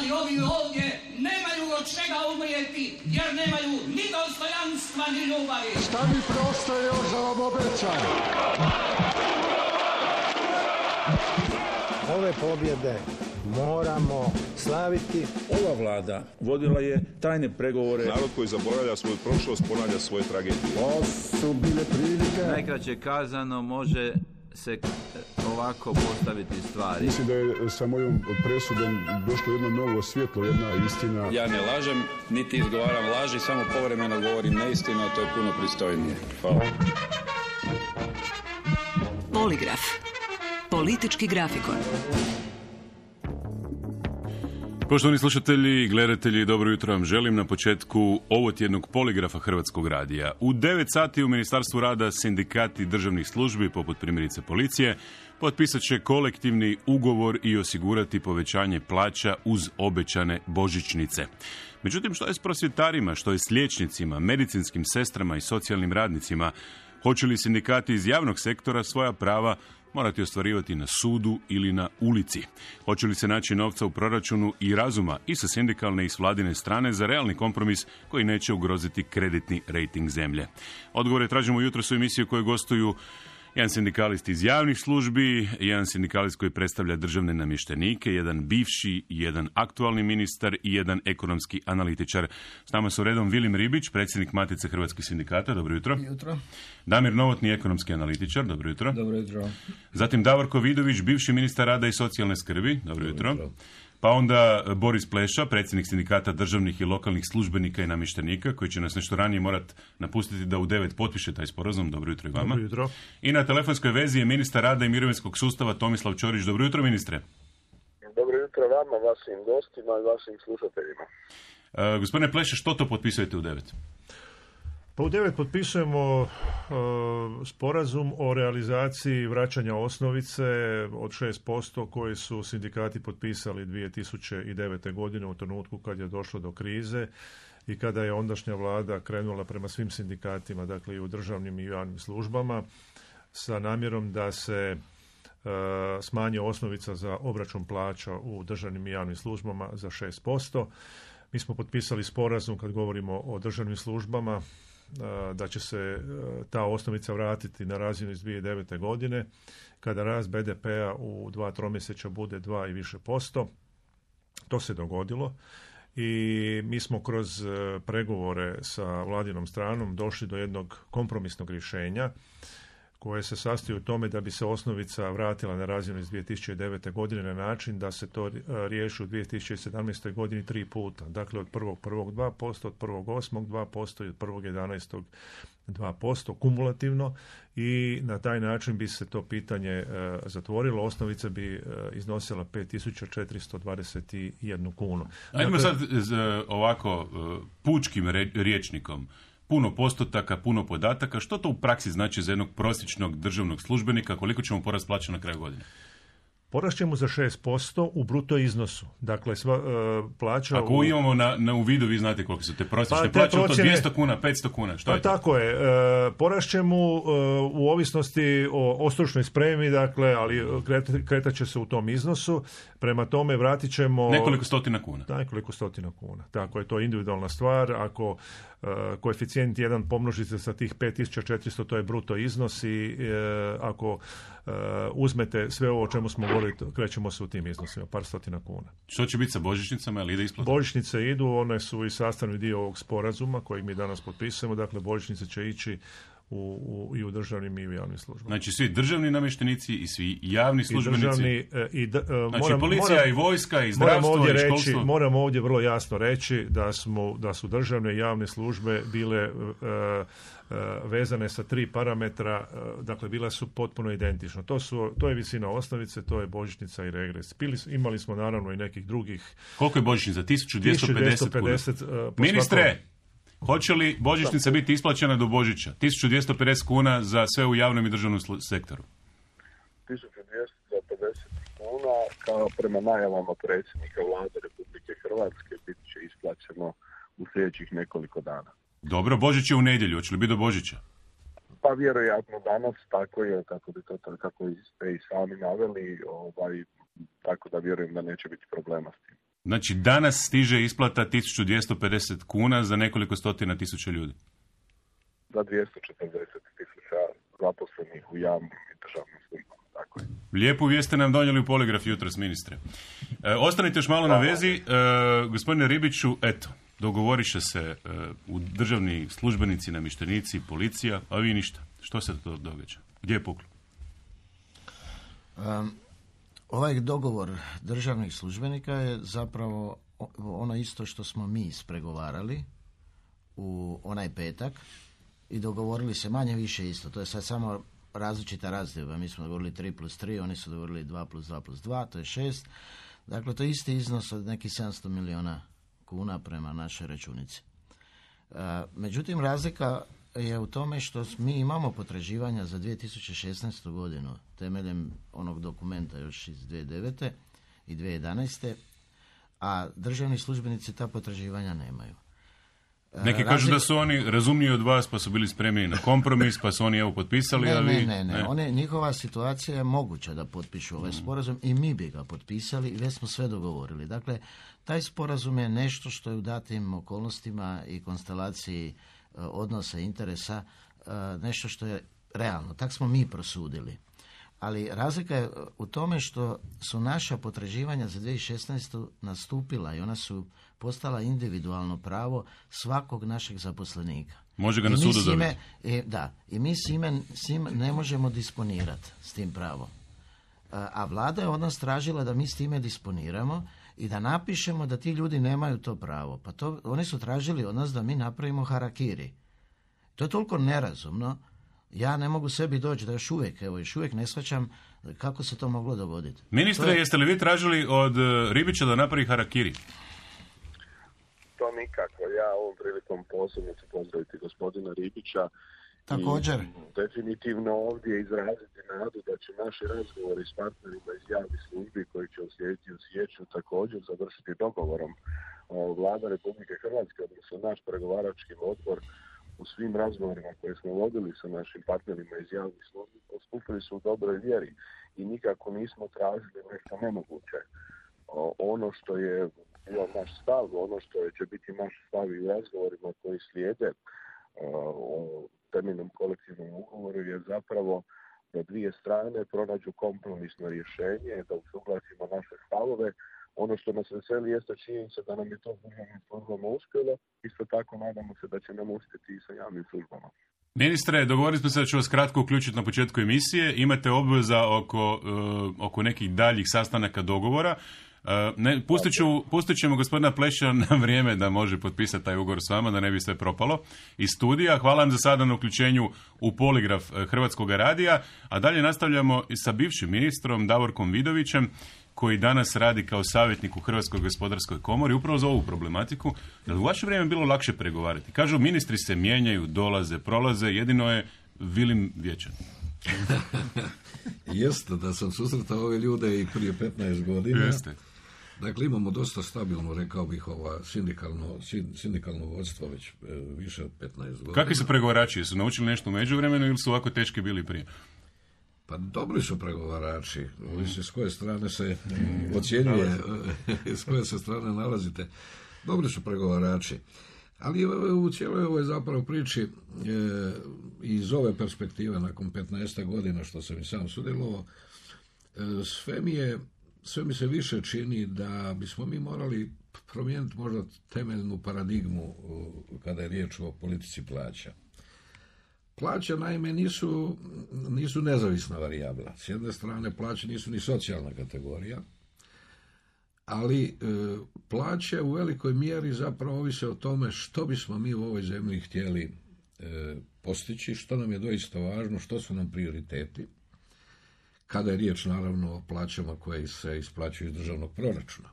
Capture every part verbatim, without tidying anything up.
ali ovi ovdje nemaju od čega umrijeti, jer nemaju ni dostojanstva, ni ljubavi. Šta mi preostaje još da vam obećam? Ove pobjede moramo slaviti. Ova vlada vodila je tajne pregovore. Narod koji zaboravlja svoju prošlost ponavlja svoje tragedije. To su bile prilike. Najkraće kazano može se ovako postaviti stvari. Mislim da je sa mojom presudom došlo jedno novo svjetlo, jedna istina. Ja ne lažem, niti izgovaram laži, samo povremeno govorim neistinu, a to je puno pristojnije. Hvala. Poligraf. Politički grafikon. Poštovani slušatelji i gledatelji, dobro jutro vam želim na početku ovotjednog poligrafa Hrvatskog radija. U devet sati u Ministarstvu rada sindikati državnih službi, poput primjerice policije, potpisat će kolektivni ugovor i osigurati povećanje plaća uz obećane božićnice. Međutim, što je s prosvjetarima, što je s liječnicima, medicinskim sestrama i socijalnim radnicima? Hoće li sindikati iz javnog sektora svoja prava morati ostvarivati na sudu ili na ulici? Hoće li se naći novca u proračunu i razuma i sa sindikalne i s vladine strane za realni kompromis koji neće ugroziti kreditni rejting zemlje? Odgovore tražimo jutros u emisiji u kojoj gostuju jedan sindikalist iz javnih službi, jedan sindikalist koji predstavlja državne namještenike, jedan bivši, jedan aktualni ministar i jedan ekonomski analitičar. S nama su redom Vilim Ribić, predsjednik Matice hrvatskih sindikata. Dobro jutro. Jutro. Damir Novotni, ekonomski analitičar. Dobro jutro. Dobro jutro. Zatim Davorko Vidović, bivši ministar rada i socijalne skrbi. Dobro, Dobro jutro. jutro. Pa onda Boris Pleša, predsjednik sindikata državnih i lokalnih službenika i namještenika, koji će nas nešto ranije morati napustiti da u devet potpiše taj sporazum. Dobro jutro i vama. Dobro jutro. I na telefonskoj vezi je ministar rada i mirovinskog sustava Tomislav Ćorić. Dobro jutro, ministre. Dobro jutro vama, vašim gostima i vašim slušateljima. Uh, gospodine Pleša, što to potpisujete u devet? Pa u devet potpisujemo uh, sporazum o realizaciji vraćanja osnovice od šest posto koji su sindikati potpisali dvije tisuće devete. godine u trenutku kad je došlo do krize i kada je ondašnja vlada krenula prema svim sindikatima, dakle i u državnim i javnim službama, sa namjerom da se uh, smanje osnovica za obračun plaća u državnim i javnim službama za šest posto. Mi smo potpisali sporazum kad govorimo o državnim službama da će se ta osnovica vratiti na razinu iz dvije tisuće devete. godine, kada rast be de pea u dva tromjesečja bude dva i više posto. To se dogodilo i mi smo kroz pregovore sa vladinom stranom došli do jednog kompromisnog rješenja koje se sastoji u tome da bi se osnovica vratila na razinu iz dvije tisuće devete. godine na način da se to riješi u dvije tisuće sedamnaestoj. godini tri puta. Dakle, od prvog prvog dva posto, od prvog osmog dva posto i od prvog jedanaestog dva posto kumulativno i na taj način bi se to pitanje e, zatvorilo. Osnovica bi e, iznosila pet tisuća četiristo dvadeset jednu kunu. Ajmo dakle, sad z, ovako pučkim re, rječnikom. Puno postotaka, puno podataka. Što to u praksi znači za jednog prosječnog državnog službenika? Koliko ćemo porast plaća na kraju godine? Porast ćemo za šest posto u bruto iznosu. Dakle, sva uh, plaća... Ako u... imamo na, na u vidu, vi znate koliko su te prosječne pa, te plaće, procjene... to dvjesto kuna, petsto kuna, što pa je to? Tako je. Uh, porast ćemo uh, u ovisnosti o, o stručnoj spremi, dakle, ali kret, kretat će se u tom iznosu. Prema tome vratit ćemo... Nekoliko stotina kuna. Nekoliko stotina kuna. Tako je, to individualna stvar. Ako uh, koeficijent jedan pomnožite sa tih pet tisuća četiristo, to je bruto iznos i uh, ako uh, uzmete sve ovo o čemu smo govorili, krećemo se u tim iznosima, par stotina kuna. Što će biti sa božićnicama, ili ide isplata? Božićnice idu, one su i sastavni dio ovog sporazuma kojeg mi danas potpisujemo, dakle božićnice će ići u, u, i u državnim i u javnim službama. Znači svi državni namještenici i svi javni službenici? I državni, i d, znači moram, policija moram, i vojska i zdravstvo i školstvo? Reći, moram ovdje vrlo jasno reći da, smo, da su državne i javne službe bile uh, uh, vezane sa tri parametra, uh, dakle bila su potpuno identične. To, su, to je visina osnovice, to je božićnica i regres. Bili, imali smo naravno i nekih drugih... Koliko je božićnica? tisuću dvjesto pedeset kuna. Uh, Ministre! Svakom... Hoće li božićnica biti isplaćena do Božića? tisuću dvjesto pedeset kuna za sve u javnom i državnom sektoru. tisuću dvjesto pedeset kuna, kao prema najavama predsjednika vlade Republike Hrvatske, bit će isplaćeno u sljedećih nekoliko dana. Dobro, Božić je u nedjelju, hoće li biti do Božića? Pa vjerojatno danas, tako je, kako bi to, kako ste i sami naveli, ovaj, tako da vjerujem da neće biti problema s tim. Znači, danas stiže isplata tisuću dvjesto pedeset kuna za nekoliko stotina tisuća ljudi. Za dvjesto četrdeset tisuća zaposlenih u javnim i državnim službama. Tako je. Lijepu vijest ste nam donijeli u poligraf jutros, ministre. E, ostanite još malo na vezi. E, gospodine Ribiću, eto, dogovoriše se e, u državni službenici, namještenici, policija, a vi ništa. Što se to događa? Gdje je puklo? Um, ovaj dogovor državnih službenika je zapravo ono isto što smo mi ispregovarali u onaj petak i dogovorili se manje više isto. To je sad samo različita razdjela. Mi smo dogovorili tri plus tri, oni su dogovorili dva plus dva plus dva, to je šest. Dakle, to je isti iznos od nekih sedamsto milijuna kuna prema našoj računici. Uh, međutim, razlika je u tome što mi imamo potraživanja za dvije tisuće šesnaestu godinu temeljem onog dokumenta još iz dvije tisuće devete i dvije tisuće jedanaeste, a državni službenici ta potraživanja nemaju. Neki kažu Razli... da su oni razumniji od vas, pa su bili spremni na kompromis, pa su oni evo potpisali, ne, a vi... Ne, ne, ne. One, njihova situacija je moguća da potpišu ovaj sporazum i mi bi ga potpisali i već smo sve dogovorili. Dakle, taj sporazum je nešto što je u datim okolnostima i konstelaciji odnosa interesa nešto što je realno. Tak smo mi prosudili. Ali razlika je u tome što su naša potraživanja za dvije tisuće šesnaestu nastupila i ona su postala individualno pravo svakog našeg zaposlenika. Može ga na sudu dobiti. I, da, i mi s ime, s ime ne možemo disponirati s tim pravom. A, a vlada je od nas tražila da mi s time disponiramo i da napišemo da ti ljudi nemaju to pravo. Pa to, oni su tražili od nas da mi napravimo harakiri. To je toliko nerazumno. Ja ne mogu sebi doći da još uvijek, evo još uvijek ne shvaćam kako se to moglo dogoditi. Ministre, je... jeste li vi tražili od Ribića da napravi harakiri? To nikako. Ja ovom prilikom posebno ću pozdraviti gospodina Ribića. Također. I definitivno ovdje izraziti nadu da će naši razgovori s partnerima iz javnih službi koji će uslijediti u siječnju također završiti dogovorom. Vlada Republike Hrvatske, odnosno naš pregovarački odbor, u svim razgovorima koje smo vodili sa našim partnerima iz javnih službi, postupili su u dobroj vjeri i nikako nismo tražili nešto nemoguće. Ono što je bio naš stav, ono što će biti naš stav i u razgovorima koji slijede o temeljnom kolektivnom ugovoru je zapravo da dvije strane pronađu kompromisno rješenje, da usuglasimo naše stavove. Ono što nas veseli jeste činjenica da nam je to državnim službama uspjelo, isto tako nadamo se da će nam uspjeti i sa javnim službama. Ministre, dogovorili smo se da ću vas kratko uključiti na početku emisije. Imate obveza oko, uh, oko nekih daljih sastanaka dogovora. Uh, ne, pustit, ću, pustit ćemo gospodina Pleša na vrijeme da može potpisati taj ugovor s vama, da ne bi sve propalo iz studija. Hvala vam za sada na uključenju u poligraf Hrvatskog radija, a dalje nastavljamo i sa bivšim ministrom Davorkom Vidovićem, koji danas radi kao savjetnik u Hrvatskoj gospodarskoj komori, upravo za ovu problematiku. Je li u vaše vrijeme bilo lakše pregovarati? Kažu, ministri se mijenjaju, dolaze, prolaze, jedino je Vilim vječan. Jeste, da sam susretao ove ljude i prije petnaest godina. Jeste. Dakle, imamo dosta stabilno, rekao bih, ova sindikalno, sindikalno vodstvo već e, više od petnaest godina. Kakvi su pregovarači? Su naučili nešto u međuvremenu ili su ovako teški bili prije? Pa dobri su pregovarači, ovisi s koje strane se ocjenjuje, s koje se strane nalazite. Dobri su pregovarači, ali u cijeloj ovoj zapravo priči e, iz ove perspektive nakon petnaest godina što sam i sam sudjelovao, e, sve mi je, sve mi se više čini da bismo mi morali promijeniti možda temeljnu paradigmu kada je riječ o politici plaća. Plaće, naime, nisu, nisu nezavisna varijabla. S jedne strane, plaće nisu ni socijalna kategorija, ali e, plaće u velikoj mjeri zapravo ovise o tome što bismo mi u ovoj zemlji htjeli e, postići, što nam je doista važno, što su nam prioriteti, kada je riječ, naravno, o plaćama koje se isplaćuju iz državnog proračuna.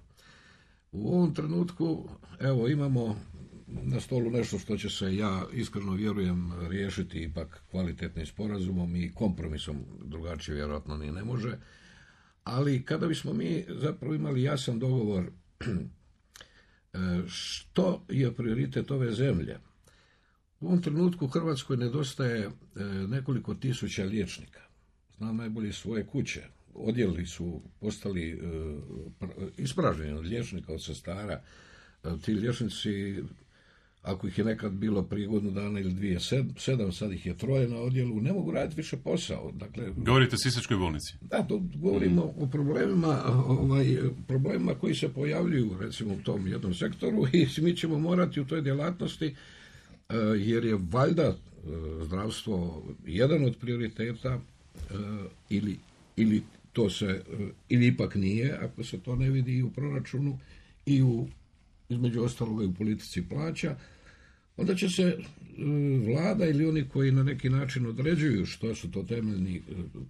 U ovom trenutku, evo, imamo na stolu nešto što će se, ja iskreno vjerujem, riješiti ipak kvalitetnim sporazumom i kompromisom, drugačije vjerojatno ni ne može, ali kada bismo mi zapravo imali jasan dogovor što je prioritet ove zemlje. U ovom trenutku Hrvatskoj nedostaje nekoliko tisuća liječnika. Znam najbolje svoje kuće. odjeli su postali uh, ispražnjeni od liječnika, od sestara. Uh, ti liječnici, ako ih je nekad bilo prije godinu dana ili dvije, sed, sedam, sad ih je troje na odjelu, ne mogu raditi više posao. Dakle, govorite o Sisačkoj bolnici? Da, to govorimo mm. o problemima, ovaj, problemima koji se pojavljuju recimo u tom jednom sektoru i mi ćemo morati u toj djelatnosti, uh, jer je valjda uh, zdravstvo jedan od prioriteta uh, ili, ili to se, uh, ili ipak nije, ako se to ne vidi i u proračunu i u, između ostaloga i u politici plaća, onda će se vlada ili oni koji na neki način određuju što su to temeljni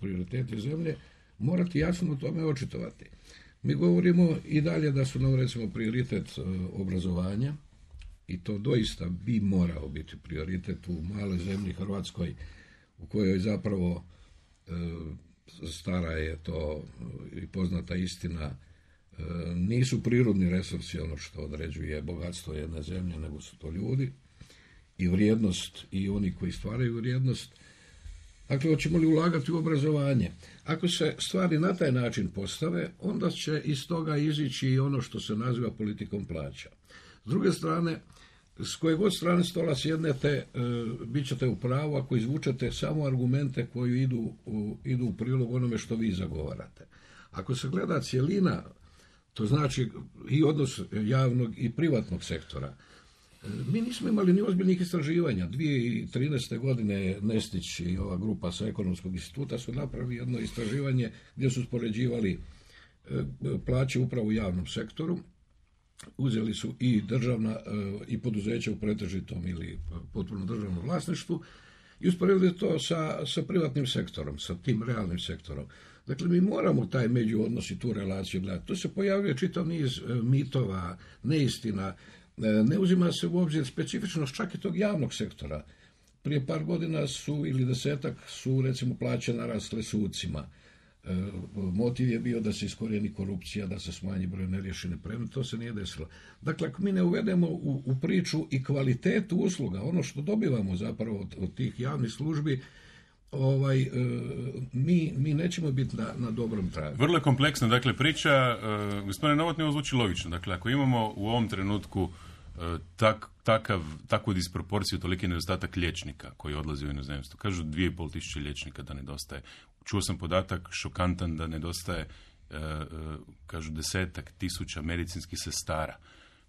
prioriteti zemlje, morati jasno o tome očitovati. Mi govorimo i dalje da su nam recimo prioritet obrazovanja i to doista bi morao biti prioritet u maloj zemlji Hrvatskoj u kojoj zapravo stara je to i poznata istina, nisu prirodni resursi ono što određuje bogatstvo jedne zemlje, nego su to ljudi i vrijednost i oni koji stvaraju vrijednost. Dakle, hoćemo li ulagati u obrazovanje? Ako se stvari na taj način postave, onda će iz toga izići i ono što se naziva politikom plaća. S druge strane, s koje god strane stola sjednete, e, bit ćete u pravu ako izvučete samo argumente koji idu u, idu u prilog onome što vi zagovarate. Ako se gleda cjelina, to znači i odnos javnog i privatnog sektora. Mi nismo imali ni ozbiljnih istraživanja. dvije tisuće trinaeste. godine Nestić i ova grupa sa Ekonomskog instituta su napravili jedno istraživanje gdje su uspoređivali plaće upravo u javnom sektoru. Uzeli su i državna i poduzeća u pretežitom ili potpuno državnom vlasništvu i usporedili to sa, sa privatnim sektorom, sa tim realnim sektorom. Dakle, mi moramo taj međuodnos i tu relaciju gledati. Tu se pojavljuje čitav niz mitova, neistina, ne uzima se u obzir specifičnost čak i tog javnog sektora. Prije par godina su, ili desetak, su recimo plaće narasle sucima. Motiv je bio da se iskorijeni korupcija, da se smanji broj neriješene predmete, to se nije desilo. Dakle, ako mi ne uvedemo u, u priču i kvalitetu usluga, ono što dobivamo zapravo od, od tih javnih službi, ovaj, e, mi, mi nećemo biti na, na dobrom tragu. Vrlo je kompleksna, dakle, priča, e, gospodine Novotny, ovo zvuči logično. Dakle, ako imamo u ovom trenutku e, tak, takav, takvu disproporciju, toliki nedostatak liječnika koji odlazi u inozemstvo, kažu dvije i pol tisuće liječnika da nedostaje. Čuo sam podatak šokantan da nedostaje, e, e, kažu desetak tisuća medicinskih sestara.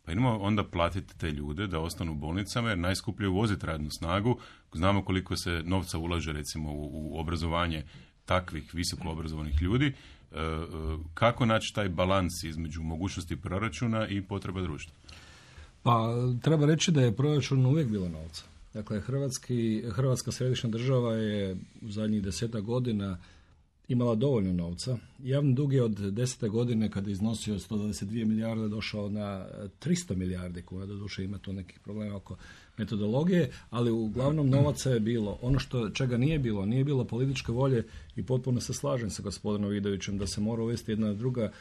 Pa idemo onda platiti te ljude da ostanu u bolnicama, jer najskuplje je uvoziti radnu snagu. Znamo koliko se novca ulaže recimo u, u obrazovanje takvih visoko obrazovanih ljudi. E, kako naći taj balans između mogućnosti proračuna i potreba društva? Pa treba reći da je proračun uvijek bilo novca. Dakle, Hrvatski, Hrvatska središnja država je u zadnjih deseta godina imala dovoljno novca. Javni dug je od desete godine, kada je iznosio sto dvadeset dvije milijarde, došao na tristo milijardi kuna. Doduše ima tu nekih problema oko metodologije, ali uglavnom novaca je bilo. Ono što čega nije bilo, nije bilo političke volje i potpuno se slažem sa gospodinom Vidovićem da se mora uvesti jedna druga,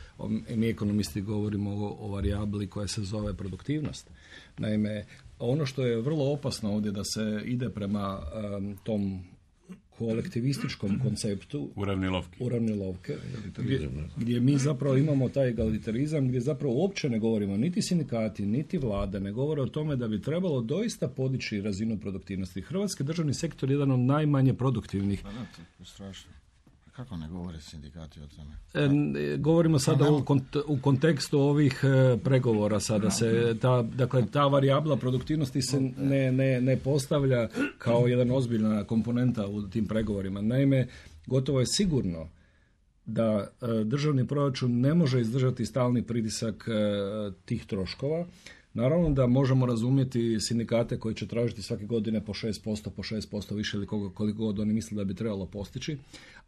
mi ekonomisti govorimo o, o varijabli koja se zove produktivnost. Naime, ono što je vrlo opasno ovdje da se ide prema um, tom kolektivističkom konceptu uravnilovke, uravnilovke gdje, gdje mi zapravo imamo taj egalitarizam, gdje zapravo uopće ne govorimo niti sindikati, niti vlada, ne govore o tome da bi trebalo doista podići razinu produktivnosti. Hrvatski državni sektor je jedan od najmanje produktivnih. Pa da, to je strašno. Kako ne govore sindikati o tome? E, govorimo sada u, kont- u kontekstu ovih e, pregovora sada se ta, dakle, ta varijabla produktivnosti se ne, ne, ne postavlja kao jedan ozbiljna komponenta u tim pregovorima. Naime, gotovo je sigurno da e, državni proračun ne može izdržati stalni pritisak e, tih troškova. Naravno da možemo razumjeti sindikate koji će tražiti svake godine po šest posto, po šest posto više ili koliko god oni misle da bi trebalo postići,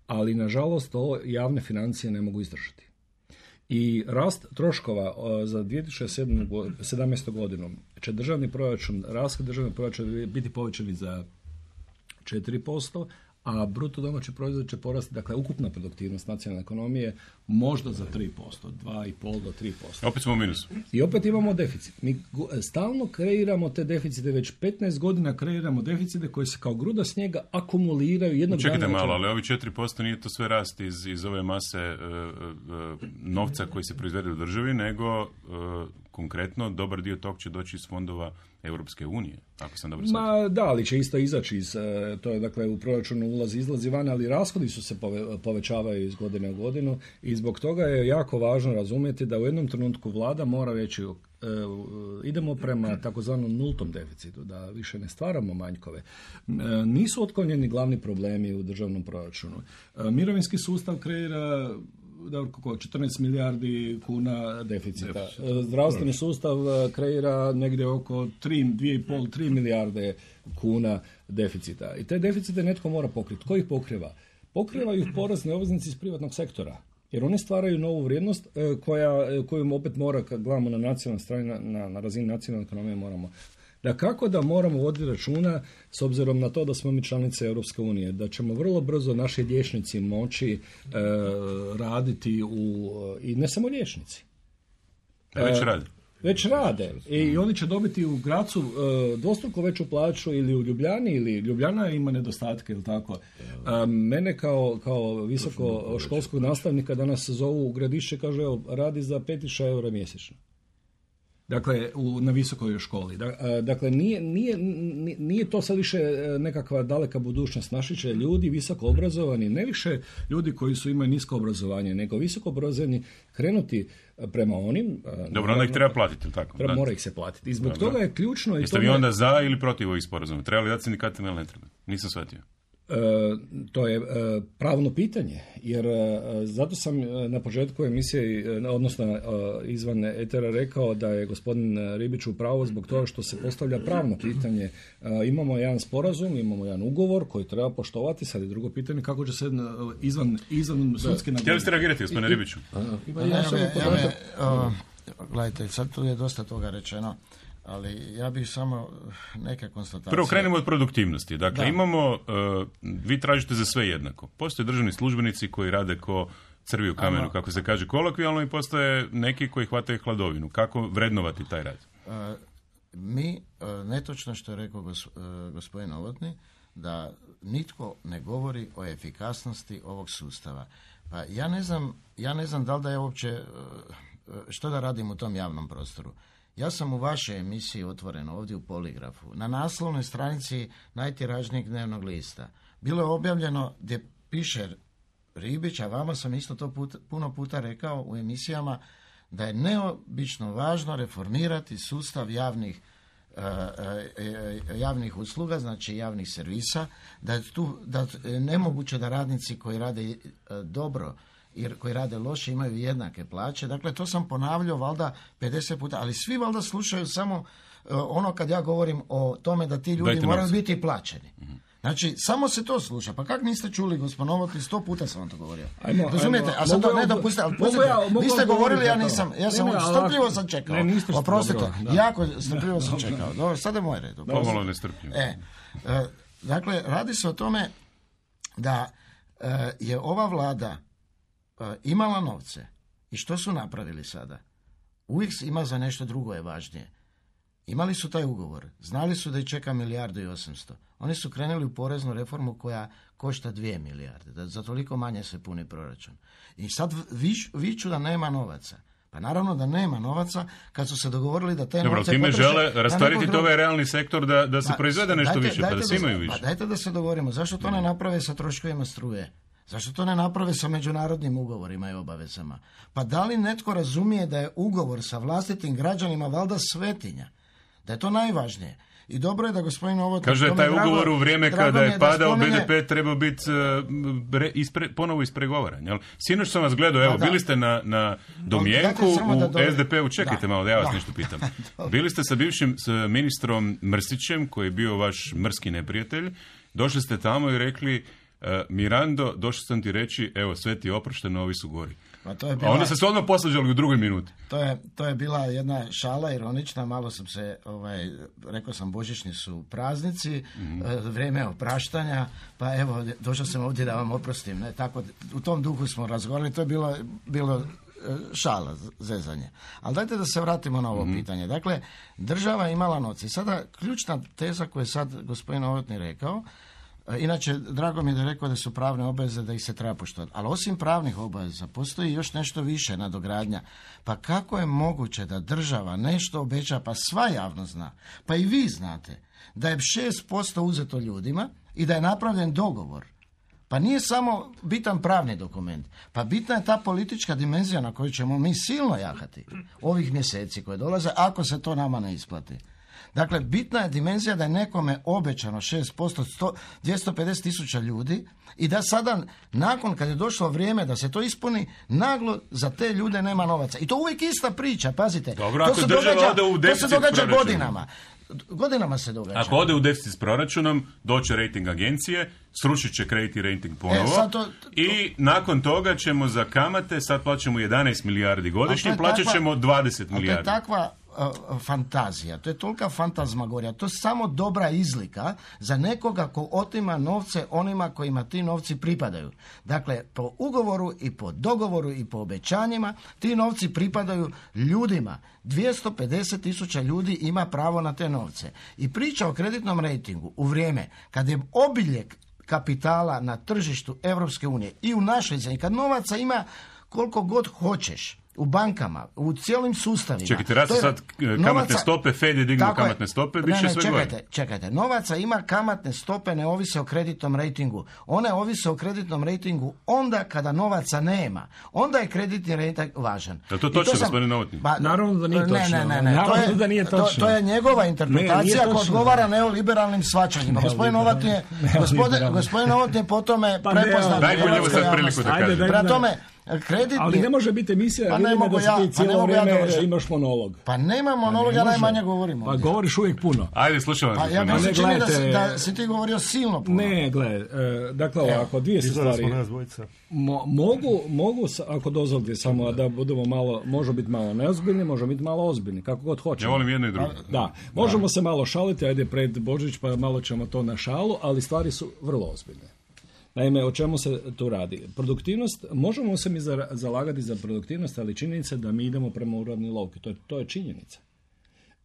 ali nažalost to javne financije ne mogu izdržati. I rast troškova za dvije tisuće sedamnaestu. godinu će državni proračun, rashod državnog proračuna biti povećani za četiri posto, a bruto domaći proizvod će porasti, dakle ukupna produktivnost nacionalne ekonomije možda za tri posto, dva i pol do tri posto. Opet smo u minusu. I opet imamo deficit. Mi stalno kreiramo te deficite, već petnaest godina kreiramo deficite koji se kao gruda snijega akumuliraju jednog dana. Čekajte malo, ali ovi četiri posto nije to sve rast iz, iz ove mase uh, uh, novca koji se proizvede u državi, nego uh, konkretno dobar dio tog će doći iz fondova Europske unije, ako sam dobro shvatio. Ma da, ali će isto izaći iz, to je dakle u proračunu ulazi, izlazi van, ali rashodi su se pove, povećavaju iz godine u godinu i zbog toga je jako važno razumjeti da u jednom trenutku vlada mora reći uh, idemo prema takozvanom nultom deficitu, da više ne stvaramo manjkove. Uh, nisu otklonjeni glavni problemi u državnom proračunu. Uh, mirovinski sustav kreira da oko četrnaest milijardi kuna deficita. Deficit. Zdravstveni sustav kreira negdje oko tri, dvije i pol, tri milijarde kuna deficita. I te deficite netko mora pokriti. Tko ih pokriva? Pokrivaju ih porezni obveznici iz privatnog sektora. Jer oni stvaraju novu vrijednost koja, koju opet mora, kad gledamo na nacionalnoj strani, na, na, na razini nacionalne ekonomije moramo. Da kako da moramo voditi računa s obzirom na to da smo mi članice Europske unije, da ćemo vrlo brzo naši liječnici moći e, raditi u, i ne samo liječnici. E, već rade. Već rade i oni će dobiti u Gracu e, dvostruko veću plaću ili u Ljubljani, ili Ljubljana ima nedostatke ili tako. E, mene kao, kao visoko školskog nastavnika danas zovu u Gradišće, kaže evo, radi za pet tisuća eura mjesečno. Dakle, u, na visokoj školi. Dakle, nije, nije, nije to sad više nekakva daleka budućnost. Naši će ljudi visoko obrazovani, ne više ljudi koji su imaju nisko obrazovanje, nego visoko obrazovani krenuti prema onim... Dobro, onda ih treba platiti, ili tako? Treba, mora ih se platiti. I zbog Dobro. toga je ključno... Jeste vi onda za ili protiv ovih sporazuma? Treba li dati sindikatima ili ne treba? Nisam shvatio. E, to je e, pravno pitanje, jer e, zato sam na početku emisije, e, odnosno e, izvan etera rekao da je gospodin Ribić u pravu zbog toga što se postavlja pravno pitanje. E, imamo jedan sporazum, imamo jedan ugovor koji treba poštovati, sad je drugo pitanje kako će se izvan, izvan sudske... Htjeli ste reagirati, gospodine Ribiću? Gledajte, sad tu je dosta toga rečeno. Ali ja bih samo neke konstatacije... Prvo krenemo od produktivnosti. Dakle, da. imamo, uh, vi tražite za sve jednako. Postoje državni službenici koji rade ko crvi u kamenu, Ama. kako se kaže kolokvijalno, i postoje neki koji hvataju hladovinu. Kako vrednovati taj rad? Uh, mi, uh, netočno što je rekao gos, uh, gospodin Novotny, da nitko ne govori o efikasnosti ovog sustava. Pa ja ne znam, ja ne znam da li da je uopće, uh, što da radim u tom javnom prostoru. Ja sam u vašoj emisiji Otvoreno, ovdje u Poligrafu, na naslovnoj stranici najtiražnijeg dnevnog lista. Bilo je objavljeno gdje piše Ribić, a vama sam isto to put, puno puta rekao u emisijama, da je neobično važno reformirati sustav javnih, uh, uh, javnih usluga, znači javnih servisa, da je tu da je nemoguće da radnici koji rade uh, dobro jer koji rade loše imaju jednake plaće. Dakle, to sam ponavljao valjda pedeset puta, ali svi valjda slušaju samo uh, ono kad ja govorim o tome da ti ljudi Dajte moraju novce. biti plaćeni. Mm-hmm. Znači, samo se to sluša. Pa kak niste čuli, gospodin Novotny, sto puta sam vam to govorio. Ajmo, Razumijete? Ajmo, a sad to ne dopustite, ali pustite, ja, vi ste govorili, ja nisam, ja sam ne, strpljivo sam čekao. Ne, Oprostite, dobro, jako strpljivo sam čekao. Dobro, sad je moj red. Pomalo nestrpljivo. E, uh, dakle, radi se o tome da uh, je ova vlada imala novce. I što su napravili sada? Uvijek ima za nešto drugo je važnije. Imali su taj ugovor. Znali su da ih čeka milijardu i osamsto. Oni su krenuli u poreznu reformu koja košta dvije milijarde. Da za toliko manje se puni proračun. I sad vič, viču da nema novaca. Pa naravno da nema novaca kad su se dogovorili da te Dobro, novce time potroše... žele rasteretiti ovaj realni sektor da, da se pa, proizvede nešto dajte, više, dajte pa da svi imaju više. Pa dajte da se dogovorimo. Zašto to ne naprave sa troškovima struje? Zašto to ne naprave sa međunarodnim ugovorima i obavezama? Pa da li netko razumije da je ugovor sa vlastitim građanima valjda svetinja? Da je to najvažnije. I dobro je da gospodin Novotny... Kaže da je taj drago, ugovor u vrijeme kada je padao spominje... be de pe trebao biti uh, ispre, ponovo ispregovaran. Jel? Sinoć sam vas gledao, evo, pa bili ste na, na domjenku u do... es de pe u, čekajte da. malo da ja vas da. nešto pitam. Bili ste sa bivšim s ministrom Mrsićem, koji je bio vaš mrski neprijatelj, došli ste tamo i rekli... Uh, Mirando, došao sam ti reći, evo, sve ti je oprošteno, ovi su gori. Pa to je bila, a onda ste se odmah posvađali u drugoj minuti. To je, to je bila jedna šala ironična, malo sam se, ovaj, rekao sam božićni su praznici, mm-hmm. vrijeme opraštanja, pa evo, došao sam ovdje da vam oprostim. Ne? Tako, u tom duhu smo razgovarali, to je bilo, bilo šala, zezanje. Ali dajte da se vratimo na ovo mm-hmm. pitanje. Dakle, država je imala novce. I sada ključna teza koju je sad gospodin Novotny rekao, inače, drago mi je da je rekao da su pravne obaveze da ih se treba poštovati. Ali osim pravnih obaveza, postoji još nešto više nadogradnja. Pa kako je moguće da država nešto obeća, pa sva javnost zna, pa i vi znate, da je šest posto uzeto ljudima i da je napravljen dogovor. Pa nije samo bitan pravni dokument, pa bitna je ta politička dimenzija na koju ćemo mi silno jahati ovih mjeseci koje dolaze, ako se to nama ne isplati. Dakle, bitna je dimenzija da je nekome obećano šest posto, dvjesto pedeset tisuća ljudi i da sada, nakon kad je došlo vrijeme da se to ispuni, naglo za te ljude nema novaca. I to uvijek ista priča, pazite. Dobro, to, ako se događa, događa, u to se događa proračuna. godinama. Godinama se događa. Ako ode u deficit s proračunom, doće rating agencije, srušit će kreditni rating ponovo e, to, to, i nakon toga ćemo za kamate, sad plaćamo jedanaest milijardi godišnje, plaćat ćemo dvadeset milijardi. To je takva uh, fantazija, to je tolika fantazmagorija, to je samo dobra izlika za nekoga ko otima novce onima kojima ti novci pripadaju. Dakle, po ugovoru i po dogovoru i po obećanjima ti novci pripadaju ljudima. dvjesto pedeset tisuća ljudi ima pravo na te novce. I priča o kreditnom rejtingu u vrijeme kad je obiljek kapitala na tržištu Europske unije i u našoj zemlji, kad novaca ima koliko god hoćeš, u bankama, u cijelim sustavima. Čekajte, raste sad kamatne novaca, stope, Fed je dignuo kamatne stope, bit će sve čekajte, gore. Čekajte, novaca ima, kamatne stope ne ovise o kreditnom rejtingu. One ovise o kreditnom rejtingu onda kada novaca nema. Onda je kreditni rejting važan. Da to točno, gospodine Novotny? Ba, Naravno da nije točno. Ne, ne, ne, ne. To, je, da nije točno. To, to je njegova interpretacija koja odgovara neoliberalnim shvaćanjima. Gospodin Novotny je, gospodin, gospodin Novotny je po tome pa prepoznat. Dajmo njemu sad priliku da kaže. Prema tome, kreditni... Ali ne može biti emisija, pa vidimo da ja, si ti cijelo vrijeme ja imaš monolog. Pa nema monolog, ja najmanje govorim. Pa govoriš uvijek puno. Ajde, slušam vas. Pa ja mi se čini da, si, da si ti govorio silno puno. Ne, gledaj, e, dakle ovako, dvije se stvari. Mo, mogu, mogu, ako dozvolite samo da budemo malo, može biti malo neozbiljni, može biti malo ozbiljni, kako god hoćemo. Ja volim jedno i drugo. Da, možemo da. se malo šaliti, ajde pred Božić pa malo ćemo to na šalu, ali stvari su vrlo ozbiljne. Naime, o čemu se tu radi? Produktivnost, možemo se mi zalagati za produktivnost, ali činjenica je da mi idemo prema uravnilovki. To je, to je činjenica.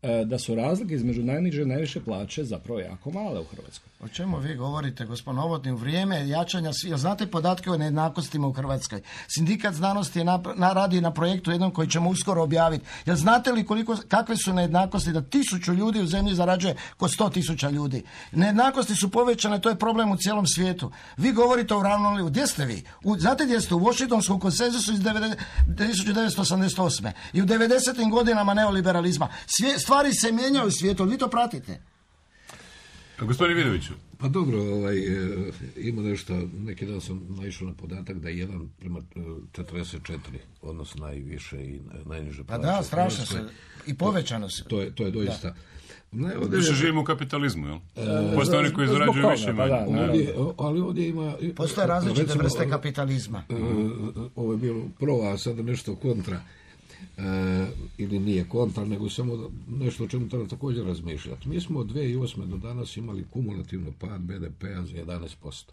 E, da su razlike između najniže i najviše plaće zapravo jako male u Hrvatskoj. O čemu vi govorite, gospodin Novotny, u vrijeme jačanja svi... Znate podatke o nejednakostima u Hrvatskoj? Sindikat znanosti je na, na, radi na projektu jednom koji ćemo uskoro objaviti. Jel znate li koliko, kakve su nejednakosti da tisuću ljudi u zemlji zarađuje ko sto tisuća ljudi? Nejednakosti su povećane, to je problem u cijelom svijetu. Vi govorite o uravnilovki. Gdje ste vi? U, znate gdje ste? U Washingtonskom konsenzusu iz tisuću devetsto osamdeset osme i u devedesetim godinama neoliberalizma. Svije, stvari se mijenjaju u svijetu, vi to pratite. Gospodine Vidoviću. Pa dobro, ovaj, ima nešto, neki dan sam naišao na podatak da je jedan prema četrdeset četiri, odnosno najviše i najniže plaće. Pa da, strašno se, i povećano se. To je, to je doista. Ne, ovdje više živimo u kapitalizmu, jel? E, Postoje oni koji zarađuju više manje. Pa da, ovdje, ali ovdje ima... Postoje različite recimo, vrste kapitalizma. E, ovo je bilo pro, a sada nešto kontra. E, ili nije kontra, nego samo nešto o čemu treba također razmišljati. Mi smo od dvije tisuće osme do danas imali kumulativno pad be de pea za jedanaest posto.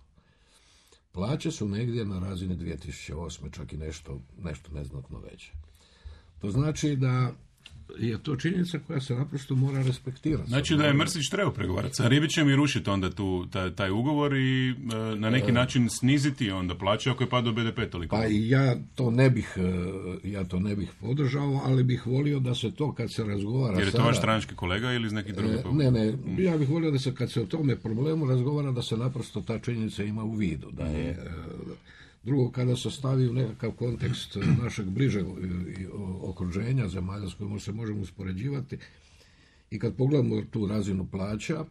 Plaće su negdje na razini dvije tisuće osme, čak i nešto, nešto neznatno veće. To znači da je to činjenica koja se naprosto mora respektirati. Znači da je Mrsić trebao pregovarati sa Ribićem i rušiti onda tu, taj, taj ugovor i e, na neki način sniziti onda plaće ako je padao be de pe toliko. Pa ja to ne bih ja to ne bih podržao, ali bih volio da se to kad se razgovara... Jer je to sada, vaš stranački kolega ili iz nekih drugih? E, ne, ne, ja bih volio da se kad se o tome problemu razgovara da se naprosto ta činjenica ima u vidu. Da je... E, Drugo, kada se stavi u nekakav kontekst našeg bližeg okruženja, zemalja s kojima se možemo uspoređivati i kad pogledamo tu razinu plaća,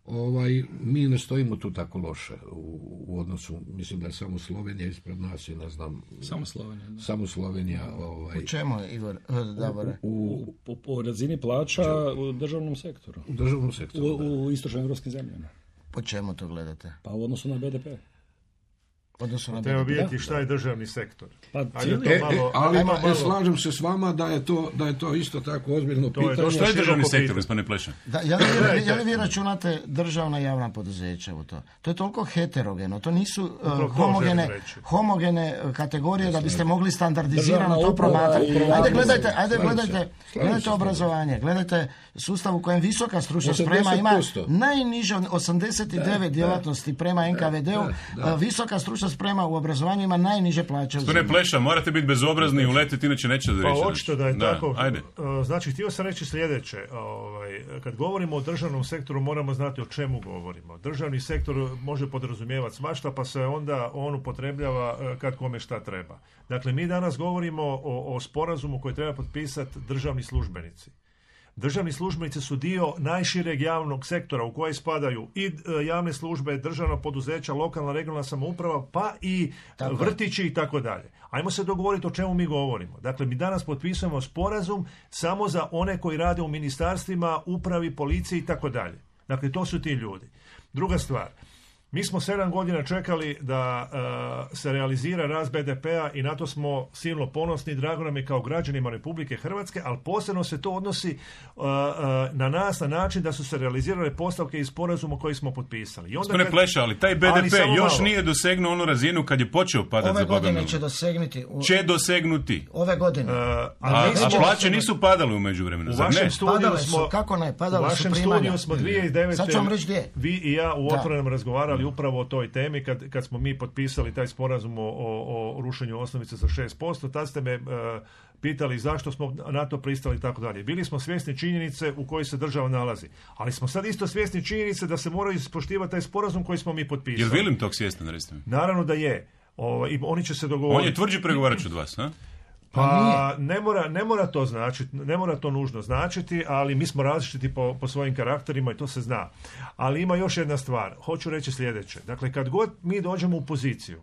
ovaj, mi ne stojimo tu tako loše u, u odnosu, mislim da je samo Slovenija ispred nas i ne znam... Samo Slovenija. Da. Samo Slovenija. Ovaj, u čemu, Igor? Davore? U, u, u, u razini plaća u državnom sektoru. U državnom sektoru, U, u istočnim evropskim zemljama. Po čemu to gledate? Pa u odnosu na be de pe. Odnosno treba vidjeti šta je državni sektor. Pa, Ajde, to e, malo, e, ali ajmo e, malo. slažem se s vama da je to, da je to isto tako ozbiljno To je pitanje. dosta Što je državni široko sektor, pitanje. gospodine Pleša? Da, je, li, vi- je li vi računate državna javna poduzeća u to? To je toliko heterogeno, to nisu uh, Upravo to homogene, želim reći. homogene uh, kategorije da biste mogli standardizirano Državna to uprava promatrati. i Ajde javnost. gledajte, ajde Slažem se. gledajte, Slažem gledajte se. obrazovanje, gledajte sustav u kojem visoka stručna osamdeset sprema ima posto. najniže od osamdeset devet djelatnosti prema en ka ve de u, da, da. uh, visoka stručna sprema u obrazovanju ima najniže plaće u Gospodine zemlji. Pleša, morate biti bezobrazni i uletiti, inače neće da Pa riješiti. očito da je Da, tako. ajde. Uh, Znači, htio sam reći sljedeće. Ovaj, kad govorimo o državnom sektoru, moramo znati o čemu govorimo. Državni sektor može podrazumijevati svašta, pa se onda on upotrebljava uh, kad kome šta treba. Dakle, mi danas govorimo o, o sporazumu koji treba potpisati državni službenici. Državni službenici su dio najšireg javnog sektora u koje spadaju i e, javne službe, državna poduzeća, lokalna, regionalna samouprava, pa i Tako je. vrtići i tako dalje. Ajmo se dogovoriti o čemu mi govorimo. Dakle, mi danas potpisujemo sporazum samo za one koji rade u ministarstvima, upravi, policiji i tako dalje. Dakle, to su ti ljudi. Druga stvar, mi smo sedam godina čekali da uh, se realizira rast be de pea i na to smo silno ponosni, drago nam je kao građanima Republike Hrvatske, ali posebno se to odnosi uh, uh, na nas na način da su se realizirale postavke iz sporazuma koji smo potpisali. I onda Gospodine kad- Pleša, ali taj be de Ali pe samo još malo. nije dosegnuo onu razinu kad je počeo padati Ove za Boga godine miloga. će dosegnuti. U, Će dosegnuti. ove godine. Uh, A, ali mi a smo- plaće nisu padale u međuvremenu, U zar vašem ne? studiju Padale su, smo, kako ne, u padale su vašem primanja. studiju smo dvije tisuće devete Sad ću vam reći gdje. vi i ja u Da. Otvorenom razgovarali upravo o toj temi kad, kad smo mi potpisali taj sporazum o, o, o rušenju osnovice za šest posto. Tad ste me e, pitali zašto smo na to pristali i tako dalje. Bili smo svjesni činjenice u kojoj se država nalazi. Ali smo sad isto svjesni činjenice da se moraju ispoštivati taj sporazum koji smo mi potpisali. Jel Vilim tog svjestan, recite mi? Naravno da je. O, i oni će se On dogovoriti. je tvrđi pregovarač od vas, a? Pa ne mora, ne mora to značiti, ne mora to nužno značiti, ali mi smo različiti po, po svojim karakterima i to se zna. Ali ima još jedna stvar, hoću reći sljedeće. Dakle, kad god mi dođemo u poziciju,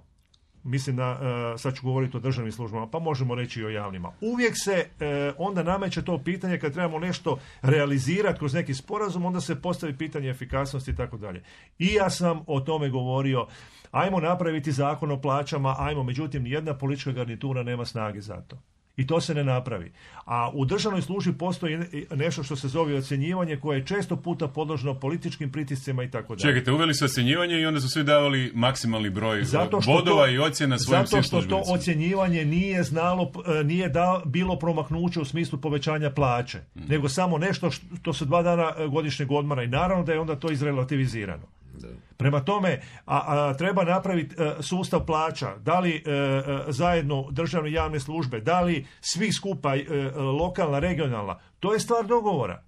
mislim da, uh, sad ću govoriti o državnim službama, pa možemo reći i o javnima. Uvijek se uh, onda nameće to pitanje kad trebamo nešto realizirati kroz neki sporazum, onda se postavi pitanje efikasnosti i tako dalje. I ja sam o tome govorio, ajmo napraviti zakon o plaćama, ajmo, međutim, nijedna politička garnitura nema snage za to. I to se ne napravi. A u državnoj službi postoji nešto što se zove ocjenjivanje koje je često puta podložno političkim pritiscima i tako dalje. Čekajte, uveli su ocjenjivanje i onda su svi davali maksimalni broj Zato što bodova to- i ocjena svojim svim Zato što to službenicima. ocjenjivanje nije znalo, e, nije da, bilo promaknuće u smislu povećanja plaće, Mhm. nego samo nešto što su dva dana e, godišnjeg odmora i naravno da je onda to izrelativizirano. Prema tome, a, a, treba napraviti e, sustav plaća, da li e, e, zajedno državne javne službe, da li svi skupa, e, e, lokalna, regionalna, to je stvar dogovora.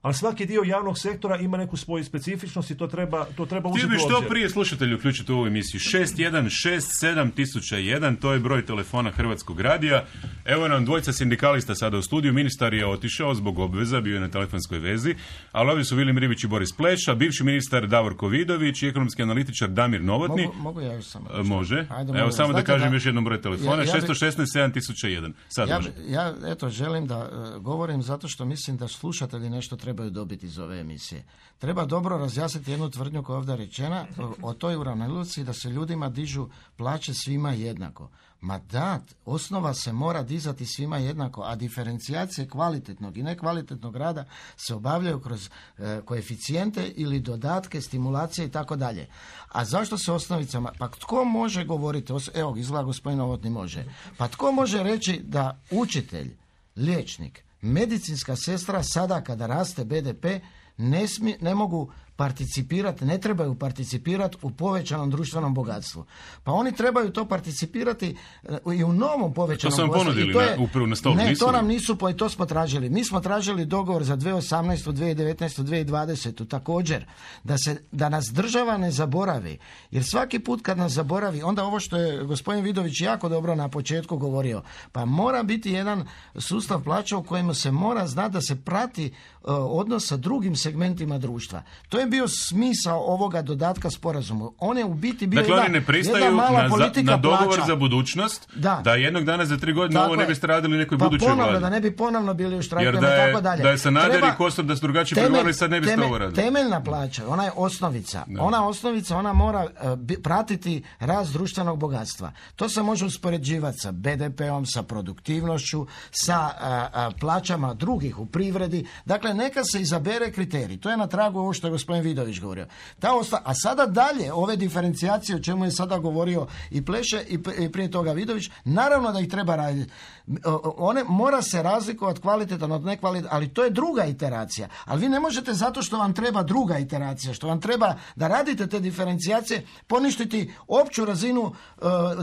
Ali svaki dio javnog sektora ima neku svoju specifičnost i to treba, to treba Htio uzeti bi u što obzir. prije slušatelji uključiti u ovu emisiju. šest jedan šest sedam tisuća jedan, to je broj telefona Hrvatskog radija. Evo nam dvojica sindikalista sada u studiju. Ministar je otišao zbog obveza, bio je na telefonskoj vezi, ali ovdje su Vilim Ribić i Boris Pleša, bivši ministar Davorko Vidović i ekonomski analitičar Damir Novotni. Mogu, mogu ja još samo E, Može. Ajde, Evo molim samo vas. da Znate kažem da- još jednom broj telefona. Ja- ja bi- šest jedan šest sedam tisuća jedan. Sad Ja, može. ja eto želim da e, govorim zato što mislim da slušatelji nešto trebaju dobiti iz ove emisije. Treba dobro razjasniti jednu tvrdnju koja je ovdje rečena o, o toj uravnilovci da se ljudima dižu plaće svima jednako. Ma da, osnova se mora dizati svima jednako, a diferencijacije kvalitetnog i nekvalitetnog rada se obavljaju kroz e, koeficijente ili dodatke, stimulacije i tako dalje. A zašto se osnovicama? Pa tko može govoriti, os- evo izgleda gospodin Novotni može, pa tko može reći da učitelj, liječnik, medicinska sestra sada kada raste be de pe ne, smi, ne mogu participirati, ne trebaju participirati u povećanom društvenom bogatstvu. Pa oni trebaju to participirati e, i u novom povećanom To su vam bogatstvu. ponudili I to na- je- upravo na stol, Ne, nisu to li? nam nisu, po- i to smo tražili. Mi smo tražili dogovor za dvije tisuće osamnaestu, dvije tisuće devetnaestu, dvije tisuće dvadesetu također, da, se, da nas država ne zaboravi. Jer svaki put kad nas zaboravi, onda ovo što je gospodin Vidović jako dobro na početku govorio, pa mora biti jedan sustav plaća u kojemu se mora znati da se prati uh, odnos sa drugim segmentima društva. To je bio smisao ovoga dodatka sporazumu. On je u biti bio dakle, jedna, oni ne pristaju jedna mala na, politika na dogovor plaća. za budućnost, da. da jednog dana za tri godine Tako ovo ne je. biste radili nekoj pa budućoj ponovno, vladi. da ne bi ponovno bili u štrajku Jer i da je, tako dalje. da je Sanader Treba i Kosor da su drugačije temelj- pregovarali, sad ne biste temelj- ovo radili. Temeljna plaća, ona je osnovica. Da. Ona osnovica, ona mora uh, bi, pratiti rast društvenog bogatstva. To se može uspoređivati sa be de peom, sa produktivnošću, sa uh, uh, plaćama drugih u privredi. Dakle, neka se izabere kriterij. To je na tragu ovo što je gospodin Vidović govorio. Ta osta- A sada dalje, ove diferencijacije o čemu je sada govorio i Pleše i, p- i prije toga Vidović, naravno da ih treba raditi. One mora se razlikovati kvalitetan od nekvalitetan, ali to je druga iteracija. Ali vi ne možete zato što vam treba druga iteracija, što vam treba da radite te diferencijacije, poništiti opću razinu uh,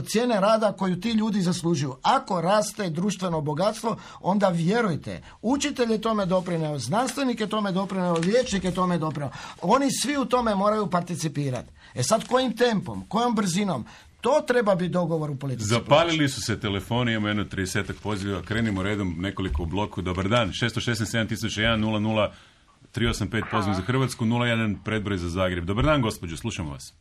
cijene rada koju ti ljudi zaslužuju. Ako raste društveno bogatstvo, onda vjerujte, učitelj je tome doprineo, znanstvenik je tome doprineo, liječnik je tome doprineo. Oni svi u tome moraju participirati. E sad, kojim tempom, kojom brzinom? To treba biti dogovor u politici. Zapalili su se telefoni, imamo jedno tridesetak poziva, krenimo redom nekoliko u bloku. Dobar dan, šest šest sedam tisuća jedan nula nula tri osam pet poziv za Hrvatsku, nula jedan predbroj za Zagreb. Dobar dan, gospođo, slušamo vas.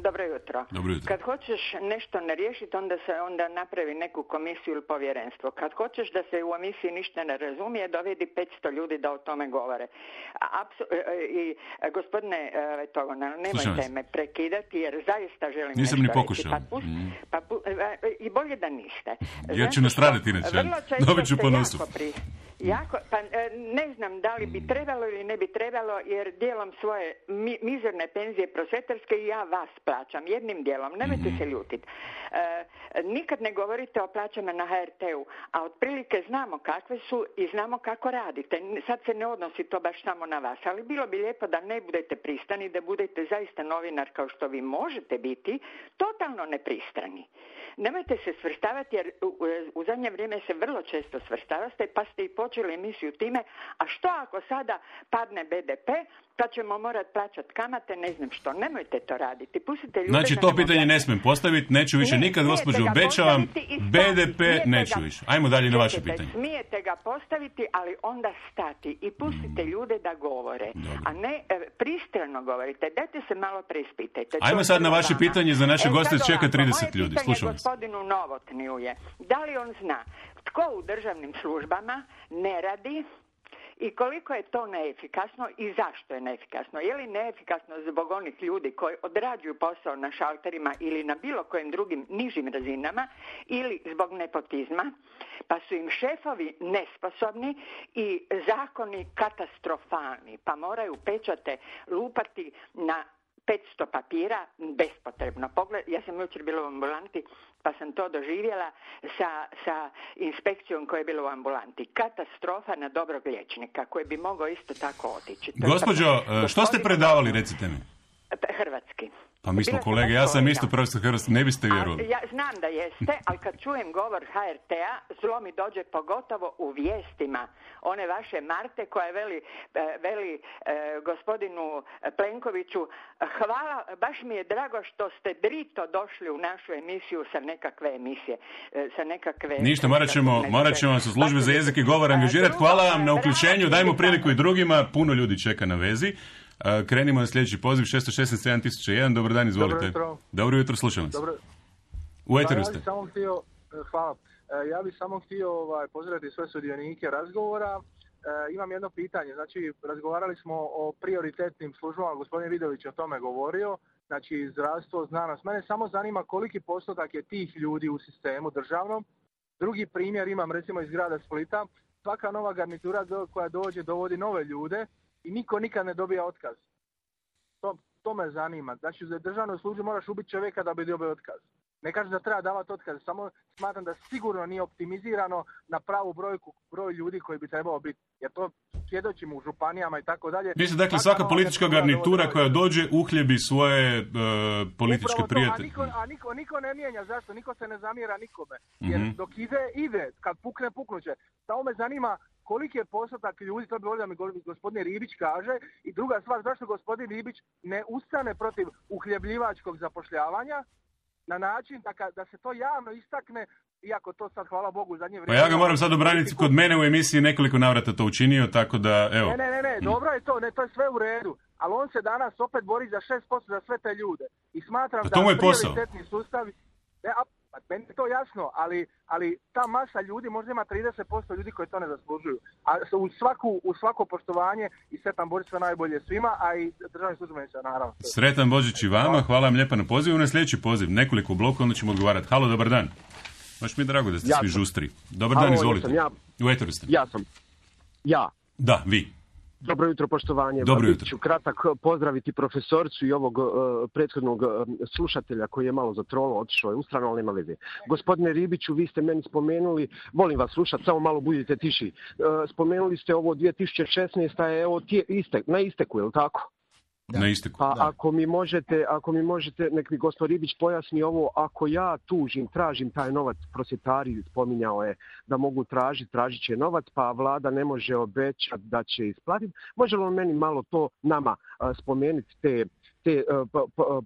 Dobro jutro. Dobro jutro. Kad hoćeš nešto ne riješiti, onda se onda napravi neku komisiju ili povjerenstvo. Kad hoćeš da se u emisiji ništa ne razumije, dovedi petsto ljudi da o tome govore. Apsu- I gospodine Togonal, nemojte me prekidati jer zaista želim Nisam nešto ni pokušao. reći. Pa pust, mm. pa pu, I bolje da niste. Ja ću nastraditi inače. Dobit ću po nosu. Jako, pa ne znam da li bi trebalo ili ne bi trebalo, jer dijelom svoje mi, mizerne penzije prosvjetarske i ja vas plaćam, jednim dijelom, nemojte se ljutiti. E, nikad ne govorite o plaćama na ha er te-u, a otprilike znamo kakve su i znamo kako radite. Sad se ne odnosi to baš samo na vas, ali bilo bi lijepo da ne budete pristrani, da budete zaista novinar kao što vi možete biti, totalno nepristrani. Nemojte se svrstavati jer u, u zadnje vrijeme se vrlo često svrstavate, pa ste i počeli emisiju time, a što ako sada padne be de pe, pa ćemo morati plaćati kamate, ne znam što. Nemojte to raditi. Pustite ljude. Znači, to pitanje ne smijem postaviti, neću više nikad, gospođo, obećavam, be de pe neću više. Ajmo dalje na vaše pitanje. Smijete ga postaviti, ali onda stati i pustite ljude da govore, a ne e, pristrano govorite. Dajte se malo preispitajte. Ajmo sad na vaše pitanje, za naše e, goste čeka trideset moje ljudi. Slušam vas. Gospodinu Novotniju je, da li on zna tko u državnim službama ne radi i koliko je to neefikasno i zašto je neefikasno? Je li neefikasno zbog onih ljudi koji odrađuju posao na šalterima ili na bilo kojim drugim nižim razinama ili zbog nepotizma, pa su im šefovi nesposobni i zakoni katastrofalni, pa moraju pečate lupati na petsto papira bespotrebno. Pogled, ja sam jučer bila u ambulanti pa sam to doživjela sa, sa inspekcijom koja je bila u ambulanti. Katastrofa na dobrog liječnika koji bi mogao isto tako otići. Gospođo, što ste predavali, recite mi? Hrvatski. Pa mi smo kolege, ja sam isto profesor hrvatski, ne biste vjerovali. Ja znam da jeste, ali kad čujem govor ha er te-a, zlo mi dođe pogotovo u vijestima. One vaše Marte koja veli, veli eh, gospodinu Plenkoviću, hvala, baš mi je drago što ste drito došli u našu emisiju sa nekakve emisije. Sa nekakve, Ništa, morat ćemo, morat ćemo vas u službi za jezik i govor angažirati. Hvala vam na uključenju, dajmo priliku i drugima, puno ljudi čeka na vezi. Uh, krenimo na sljedeći poziv, šest šest sedam tisuća jedan, dobar dan, izvolite. Dobro jutro. Dobro jutro, slušam vas. Dobro. U eteru ste. Ja bih samo htio, hvala, ja bih samo htio ovaj, pozdraviti sve sudionike razgovora. E, imam jedno pitanje, znači razgovarali smo o prioritetnim službama, gospodin Vidović je o tome govorio, znači zdravstvo, znanost. Mene samo zanima koliki postotak je tih ljudi u sistemu državnom. Drugi primjer imam recimo iz grada Splita, svaka nova garnitura do, koja dođe dovodi nove ljude i niko nikad ne dobija otkaz. To, to me zanima. Znači, za državnu službu moraš ubiti čovjeka da bi dobio otkaz. Ne kažem da treba davati otkaz, samo smatram da sigurno nije optimizirano na pravu brojku, broj ljudi koji bi trebao biti. Jer to svjedočimo u županijama i tako dalje. Mislim, dakle, svaka politička garnitura koja dođe uhljebi svoje uh, političke to, prijatelje. A, niko, a niko, niko ne mijenja, zašto? Niko se ne zamjera nikome. Jer Mm-hmm. dok ide, ide. Kad pukne, puknuće. Samo me zanima koliki je postotak ljudi, to bi volio da mi gospodin Ribić kaže. I druga stvar, zašto gospodin Ribić ne ustane protiv uhljebljivačkog zapošljavanja na način da, ka, da se to javno istakne, iako to sad, hvala Bogu, u zadnje Pa vrijeme... ja ga moram sad obraniti, kod mene u emisiji nekoliko navrata to učinio, tako da, evo. Ne, ne, ne, ne, dobro je to, ne, to je sve u redu. ali on se danas opet bori za šest posto za sve te ljude. I smatram to da mu je posao. prioritetni sustavi... Ne, a, meni je to jasno, ali, ali ta masa ljudi možda ima trideset posto ljudi koji to ne zaslužuju. A u, svaku, u svako poštovanje i Sretan Božić sve najbolje svima, a i državni službenici naravno. Sretan Božić i vama, hvala vam lijepa na pozivu. Na sljedeći poziv, nekoliko blokova, onda ćemo odgovarati. Halo, dobar dan. Baš mi je drago da ste ja svi sam. žustri. Dobar Halo, dan, izvolite. Ja U eteru ste. Ja sam. Ja. Da, vi. Dobro jutro, poštovanje. Dobro jutro. Bit ću kratak pozdraviti profesorcu i ovog uh, prethodnog uh, slušatelja koji je malo zatrolo, otišao je u stranu, ali nema veze. Gospodine Ribiću, vi ste meni spomenuli, volim vas slušati, samo malo budite tiši. Uh, spomenuli ste ovo dvije tisuće šesnaesta je evo tije, istek, na isteku, je li tako? Da. Na isteku. Pa Da. ako mi možete, ako mi možete, nek mi gospod Ribić pojasni ovo, ako ja tužim, tražim taj novac, prosvjetari spominjao je da mogu tražiti, tražit će novac, pa vlada ne može obećati da će isplatiti. Može li on meni malo to nama a, spomenuti te te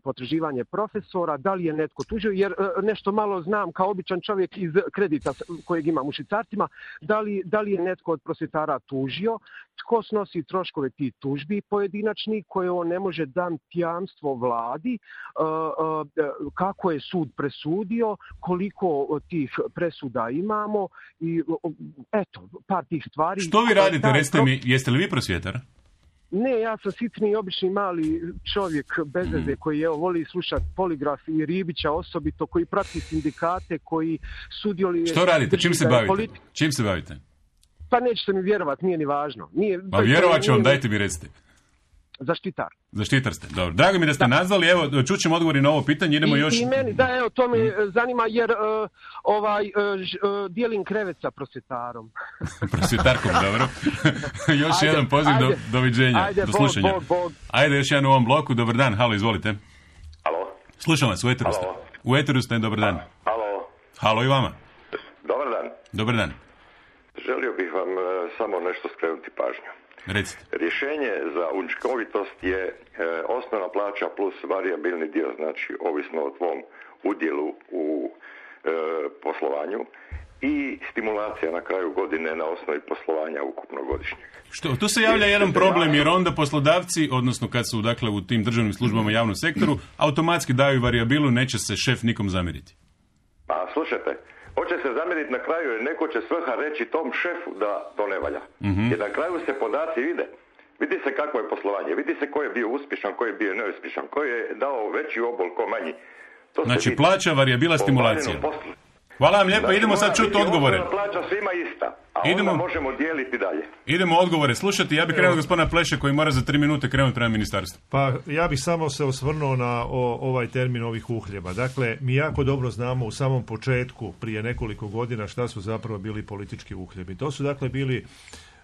potraživanje profesora, da li je netko tužio, jer nešto malo znam kao običan čovjek iz kredita kojeg imam u švicarcima, da li, da li je netko od prosvjetara tužio, tko snosi troškove tih tužbi pojedinačni koje on ne može dan jamstvo vladi, kako je sud presudio, koliko tih presuda imamo i eto, par tih stvari. Što vi radite, recite mi, jeste li vi prosvjetar? Ne, ja sam sitni, obični mali čovjek bez veze koji evo, voli slušati poligraf i Ribića osobito, koji prati sindikate, koji sudjeluje... Što radite? Čim se bavite? Politi... Čim se bavite? Pa nećete mi vjerovati, nije ni važno. Nije, pa vjerovat ću vam, dajte mi recite. Zaštitar. Zaštitar ste, dobro. Drago mi da ste da. nazvali, evo, čućemo odgovori na ovo pitanje, idemo I, još... I meni, da, evo, to me hmm. zanima, jer uh, ovaj, uh, ž, uh, dijelim krevet sa prosvjetarom. Prosvjetarkom, dobro. još ajde, jedan poziv, ajde, do, doviđenja, ajde, do slušanja. Bog, Bog. Ajde, još jedan u ovom bloku, dobar dan, halo, izvolite. Halo. Slušam vas, u eteru ste. U eteru ste, dobar dan. Halo. Halo i vama. Dobar dan. Dobar dan. Želio bih vam uh, samo nešto skrenuti pažnju. Recite. Rješenje za učinkovitost je e, osnovna plaća plus varijabilni dio, znači ovisno o tvom udjelu u e, poslovanju i stimulacija na kraju godine na osnovi poslovanja ukupno godišnjeg. Što, tu se javlja jedan problem jer onda poslodavci, odnosno kad su dakle u tim državnim službama i javnom sektoru, automatski daju varijabilu, neće se šef nikom zamjeriti. Pa slušajte, hoće se zamjeriti na kraju jer neko će svrha reći tom šefu da to ne valja. Mm-hmm. Jer na kraju se podaci vide. Vidi se kako je poslovanje, vidi se ko je bio uspješan, ko je bio neuspješan, ko je dao veći obol, ko manji. To znači plaća, varijabila, stimulacija. Hvala vam lijepa, znači, idemo sad čuti odgovore. Plaća svima ista, a idemo, onda možemo dijeliti dalje. Idemo odgovore slušati, ja bih krenuo gospodina Pleše koji mora za tri minute krenuti prema ministarstvu. Pa ja bih samo se osvrnuo na o, ovaj termin ovih uhljeba. Dakle, mi jako dobro znamo u samom početku, prije nekoliko godina, šta su zapravo bili politički uhljebi. To su dakle bili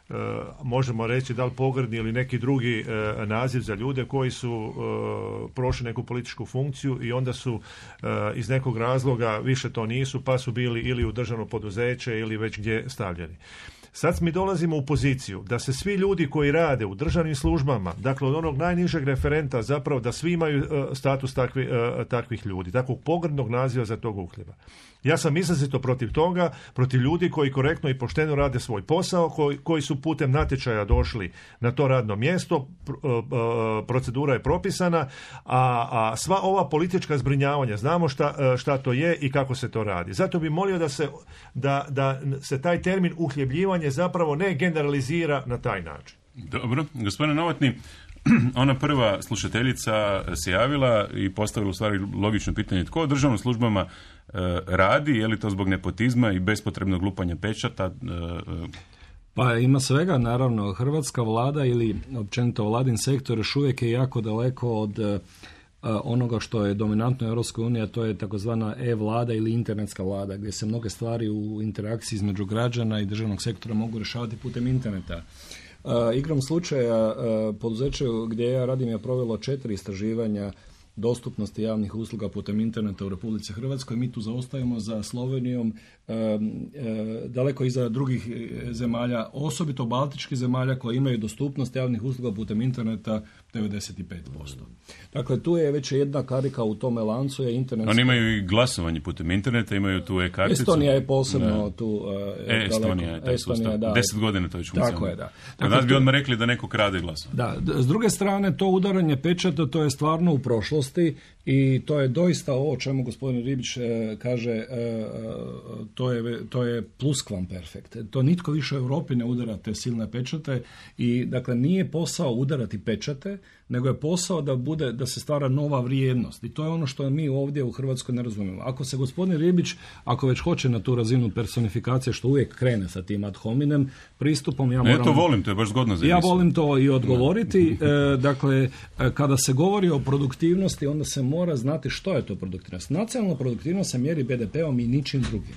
Uh, možemo reći da li pogrdni ili neki drugi uh, naziv za ljude koji su uh, prošli neku političku funkciju i onda su uh, iz nekog razloga više to nisu pa su bili ili u državno poduzeće ili već gdje stavljeni. Sad mi dolazimo u poziciju da se svi ljudi koji rade u državnim službama, dakle od onog najnižeg referenta zapravo da svi imaju uh, status takvi, uh, takvih ljudi, takvog pogrdnog naziva za tog uhljeba. Ja sam izrazito protiv toga, protiv ljudi koji korektno i pošteno rade svoj posao, koji, koji su putem natječaja došli na to radno mjesto, procedura je propisana, a, a sva ova politička zbrinjavanja, znamo šta, šta to je i kako se to radi. Zato bi molio da se, da, da se taj termin uhljebljivanje zapravo ne generalizira na taj način. Dobro, gospodine Novotni, ona prva slušateljica se javila i postavila u stvari logično pitanje tko u državnim službama e, radi, je li to zbog nepotizma i bespotrebnog lupanja pečata? E, Pa ima svega, naravno. Hrvatska vlada ili općenito vladin sektor još uvijek je jako daleko od e, onoga što je dominantno u Europskoj uniji, a to je takozvana e-vlada ili internetska vlada, gdje se mnoge stvari u interakciji između građana i državnog sektora mogu rješavati putem interneta. Uh, igrom slučaja, uh, poduzeće gdje ja radim je provelo četiri istraživanja dostupnosti javnih usluga putem interneta u Republici Hrvatskoj. Mi tu zaostajemo za Slovenijom, e, e, daleko iza drugih zemalja, osobito baltičkih zemalja koje imaju dostupnost javnih usluga putem interneta devedeset pet posto. Dakle, tu je već jedna karika u tome lancu. Je internet. Oni imaju i glasovanje putem interneta, imaju tu e-karticu. Estonija je posebno da. tu. Uh, e, Estonija je taj Estonija, sustav. da. Deset godina to već funkcionira. Tako je, da. Dakle, nas bi odmah rekli da neko krade glasovanje. Da, s druge strane, to udaranje pečata, to je stvarno u prošlosti i to je doista ovo o čemu gospodin Ribić e, kaže, e, to, je, to je pluskvamperfekt. To nitko više u Europi ne udara te silne pečate i dakle nije posao udarati pečate, nego je posao da bude, da se stvara nova vrijednost. I to je ono što mi ovdje u Hrvatskoj ne razumijemo. Ako se gospodin Ribić, ako već hoće na tu razinu personifikacije, što uvijek krene sa tim ad hominem pristupom, ja moram... Ne, to volim, to je baš zgodno za Ja volim to i odgovoriti. E, dakle, kada se govori o produktivnosti, onda se mora znati što je to produktivnost. Nacionalna produktivnost se mjeri be de peom i ničim drugim.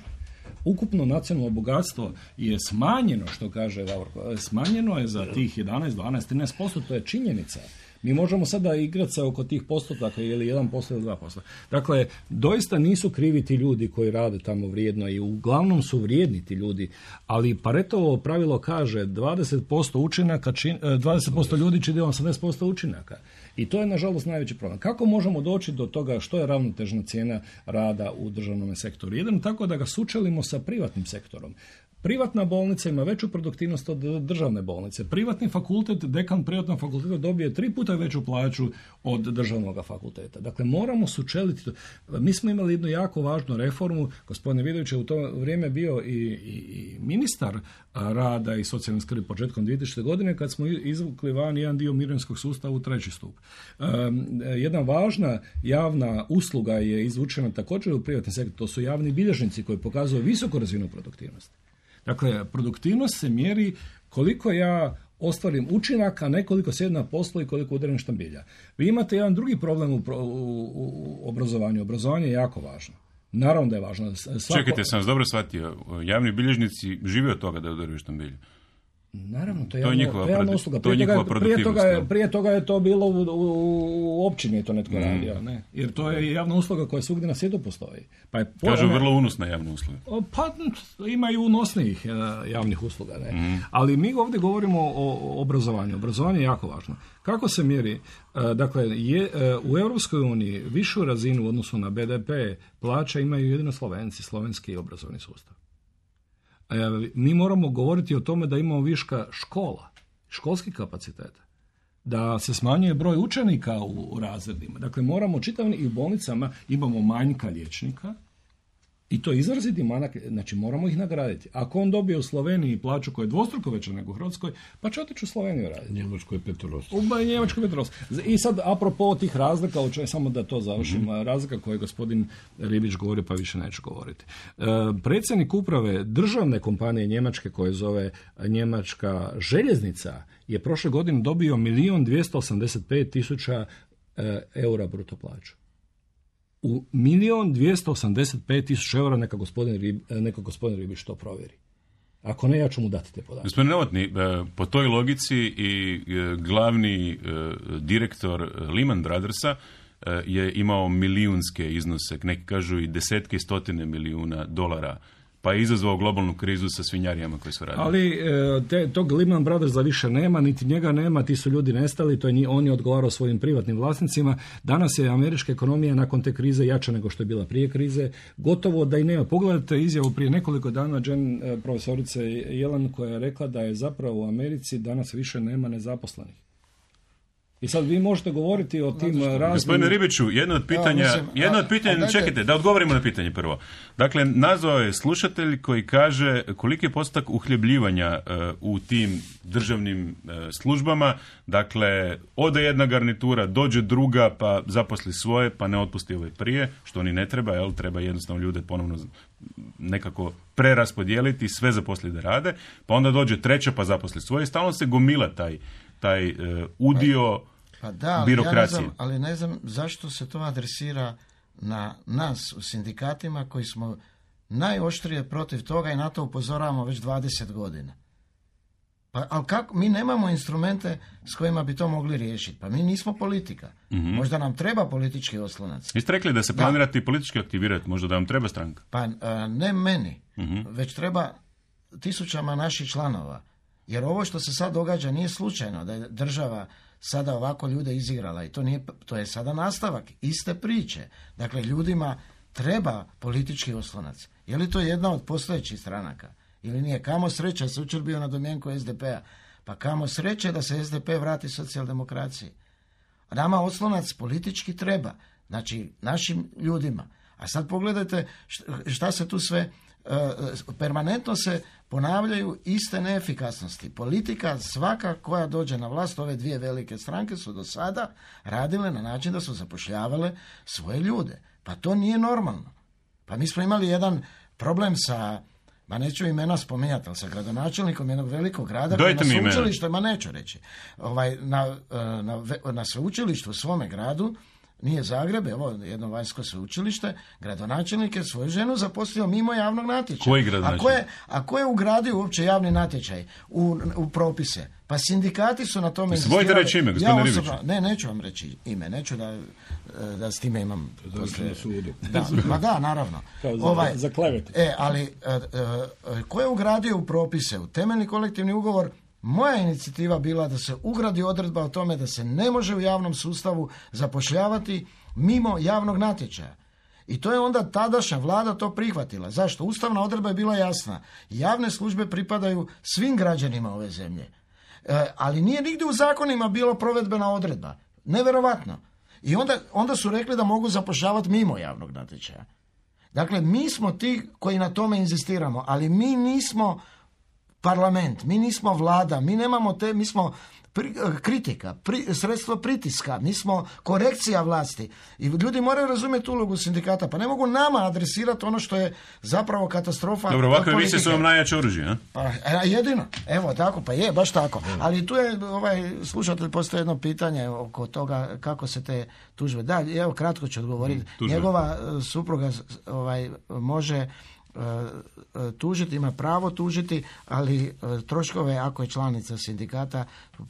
Ukupno nacionalno bogatstvo je smanjeno, što kaže Davorko, smanjeno je za tih jedanaest, dvanaest, trinaest posto, to je činjenica. Mi možemo sada igrati se oko tih postotaka ili jedan posto ili dva posto. Dakle, doista nisu krivi ti ljudi koji rade tamo vrijedno i uglavnom su vrijedni ti ljudi, ali Paretovo pravilo kaže dvadeset posto učinaka, čin, dvadeset posto ljudi čini osamdeset posto učinaka. I to je, nažalost, najveći problem. Kako možemo doći do toga što je ravnotežna cijena rada u državnom sektoru? Jedino tako da ga sučelimo sa privatnim sektorom. Privatna bolnica ima veću produktivnost od državne bolnice. Privatni fakultet, dekan privatnog fakulteta dobije tri puta veću plaću od državnog fakulteta. Dakle, moramo sučeliti to. Mi smo imali jednu jako važnu reformu. Gospodin Vidović je u to vrijeme bio i, i, i ministar rada i socijalne skrbi početkom dvije tisućite. godine kad smo izvukli van jedan dio mirovinskog sustava u treći stup. Um, jedna važna javna usluga je izvučena također u privatni sektor. To su javni bilježnici koji pokazuju visoku razinu produktivnosti. Dakle, produktivnost se mjeri koliko ja ostvarim učinaka, ne koliko sjedim na poslu i koliko udarim štambilja. Vi imate jedan drugi problem u, u, u obrazovanju. Obrazovanje je jako važno. Naravno da je važno. Svako... Čekajte, sam vas dobro shvatio. Javni bilježnici žive od toga da udaraju štambilje. Naravno, to je, to javna, njihova, to je javna usluga. To je prije, toga, prije, toga je, prije toga je to bilo u, u, u općini je to netko mm. radio, ne? Jer to je javna usluga koja svugdje na svijetu postoji. Pa je Kažu one, vrlo unosna javna usluga. Pa ima i unosnijih javnih usluga, ne? Mm. Ali mi ovdje govorimo o obrazovanju. Obrazovanje je jako važno. Kako se mjeri? Dakle, je, u Europskoj uniji višu razinu u odnosu na be de pe plaća imaju jedino Slovenci, slovenski obrazovni sustav. Mi moramo govoriti o tome da imamo viška škola, školskih kapaciteta, da se smanjuje broj učenika u razredima. Dakle, moramo čitavni i u bolnicama imamo manjka liječnika i to izraziti manak, znači moramo ih nagraditi. Ako on dobije u Sloveniji plaću koja je dvostruko veća nego u Hrvatskoj, pa će otići u Sloveniju raditi. Njemačkoj je petorost. U Njemačkoj je petorost. I sad, apropo tih razlika, učaj, samo da to završim, mm-hmm. razlika koju je gospodin Ribić govorio, pa više neću govoriti. E, predsjednik uprave državne kompanije Njemačke koje zove Njemačka željeznica je prošle godine dobio milijun dvjesto osamdeset pet tisuća eura bruto plaću. U milijun dvjesto osamdeset pet tisuća eura neka gospodin, Rib, neka gospodin Ribić to provjeri. Ako ne, ja ću mu dati te podatke. Gospodin Novotny, po toj logici i glavni direktor Lehman Brothersa je imao milijunske iznose, neki kažu i desetke i stotine milijuna dolara, pa je izazvao globalnu krizu sa svinjarijama koji su radili. Ali te, tog Lehman Brothersa više nema, niti njega nema, ti su ljudi nestali, to je, on je odgovarao svojim privatnim vlasnicima. Danas je američka ekonomija nakon te krize jača nego što je bila prije krize. Gotovo da i nema. Pogledajte izjavu prije nekoliko dana Jen, profesorice Jelan, koja je rekla da je zapravo u Americi danas više nema nezaposlenih. I sad vi možete govoriti o tim raznim... Gospodine Ribiću, jedno od pitanja, ja, mislim, jedno od pitanja, a, a čekajte, da odgovorimo na pitanje prvo. Dakle, nazvao je slušatelj koji kaže koliki je postotak uhljebljivanja uh, u tim državnim uh, službama, dakle, ode jedna garnitura, dođe druga, pa zaposli svoje, pa ne otpusti ovaj prije, što ni ne treba, jel, treba jednostavno ljude ponovno nekako preraspodijeliti, sve zaposli da rade, pa onda dođe treća, pa zaposli svoje, stalno se gomila taj taj uh, udio pa da, birokracije. Ja ne znam, ali ne znam zašto se to adresira na nas u sindikatima koji smo najoštrije protiv toga i na to upozoravamo već dvadeset godina. Pa, ali kako, mi nemamo instrumente s kojima bi to mogli riješiti. Pa mi nismo politika. Mm-hmm. Možda nam treba politički oslonac. Vi ste rekli da se planirate i politički aktivirati, možda da vam treba stranka? Pa ne meni, mm-hmm. već treba tisućama naših članova. Jer ovo što se sad događa nije slučajno, da je država sada ovako ljude izigrala i to, nije, to je sada nastavak iste priče. Dakle, ljudima treba politički oslonac. Je li to jedna od postojećih stranaka? Ili nije? Kamo sreće se učer bio na domjenku es de pe-a. Pa kamo sreće da se es de pe vrati socijaldemokraciji. Nama oslonac politički treba. Znači, našim ljudima. A sad pogledajte šta se tu sve... Uh, permanentno se ponavljaju iste neefikasnosti. Politika svaka koja dođe na vlast, ove dvije velike stranke su do sada radile na način da su zapošljavale svoje ljude. Pa to nije normalno. Pa mi smo imali jedan problem sa, ma neću imena spominjati, ali sa gradonačelnikom jednog velikog grada koji na sveučilištu, ma neću reći, ovaj, na, na, na sveučilištu u svome gradu, nije Zagreb, evo jedno vanjsko sveučilište, gradonačelnik je svoju ženu zaposlio mimo javnog natječaja. Koji gradonačelnik? A ko je, a ko je ugradio uopće javni natječaj u, u propise? Pa sindikati su na tome insistirali. Vojte reći ime, gospodine Ribić. Ja ne, neću vam reći ime, neću da, da s time imam... Poslije, da, ma da, naravno. Kao za, ovaj, za klevetu. E, ali a, a, a, ko je ugradio u propise, u temeljni kolektivni ugovor? Moja inicijativa bila da se ugradi odredba o tome da se ne može u javnom sustavu zapošljavati mimo javnog natječaja. I to je onda tadašnja vlada to prihvatila. Zašto? Ustavna odredba je bila jasna. Javne službe pripadaju svim građanima ove zemlje. E, ali nije nigdje u zakonima bilo provedbena odredba. Neverovatno. I onda, onda su rekli da mogu zapošljavati mimo javnog natječaja. Dakle, mi smo ti koji na tome inzistiramo, ali mi nismo parlament, mi nismo vlada, mi nemamo te, mi smo pri, kritika, pri, sredstvo pritiska, mi smo korekcija vlasti. I ljudi moraju razumjeti ulogu sindikata, pa ne mogu nama adresirati ono što je zapravo katastrofa. Dobro, ovakve emisije su vam najjače oružje, a? Pa jedino, evo tako, pa je, baš tako. Ali tu je, ovaj, slušatelj, postoji jedno pitanje oko toga kako se te tužbe. Da, evo, kratko ću odgovoriti. Tužbe. Njegova supruga ovaj, može tužiti, ima pravo tužiti, ali troškove, ako je članica sindikata,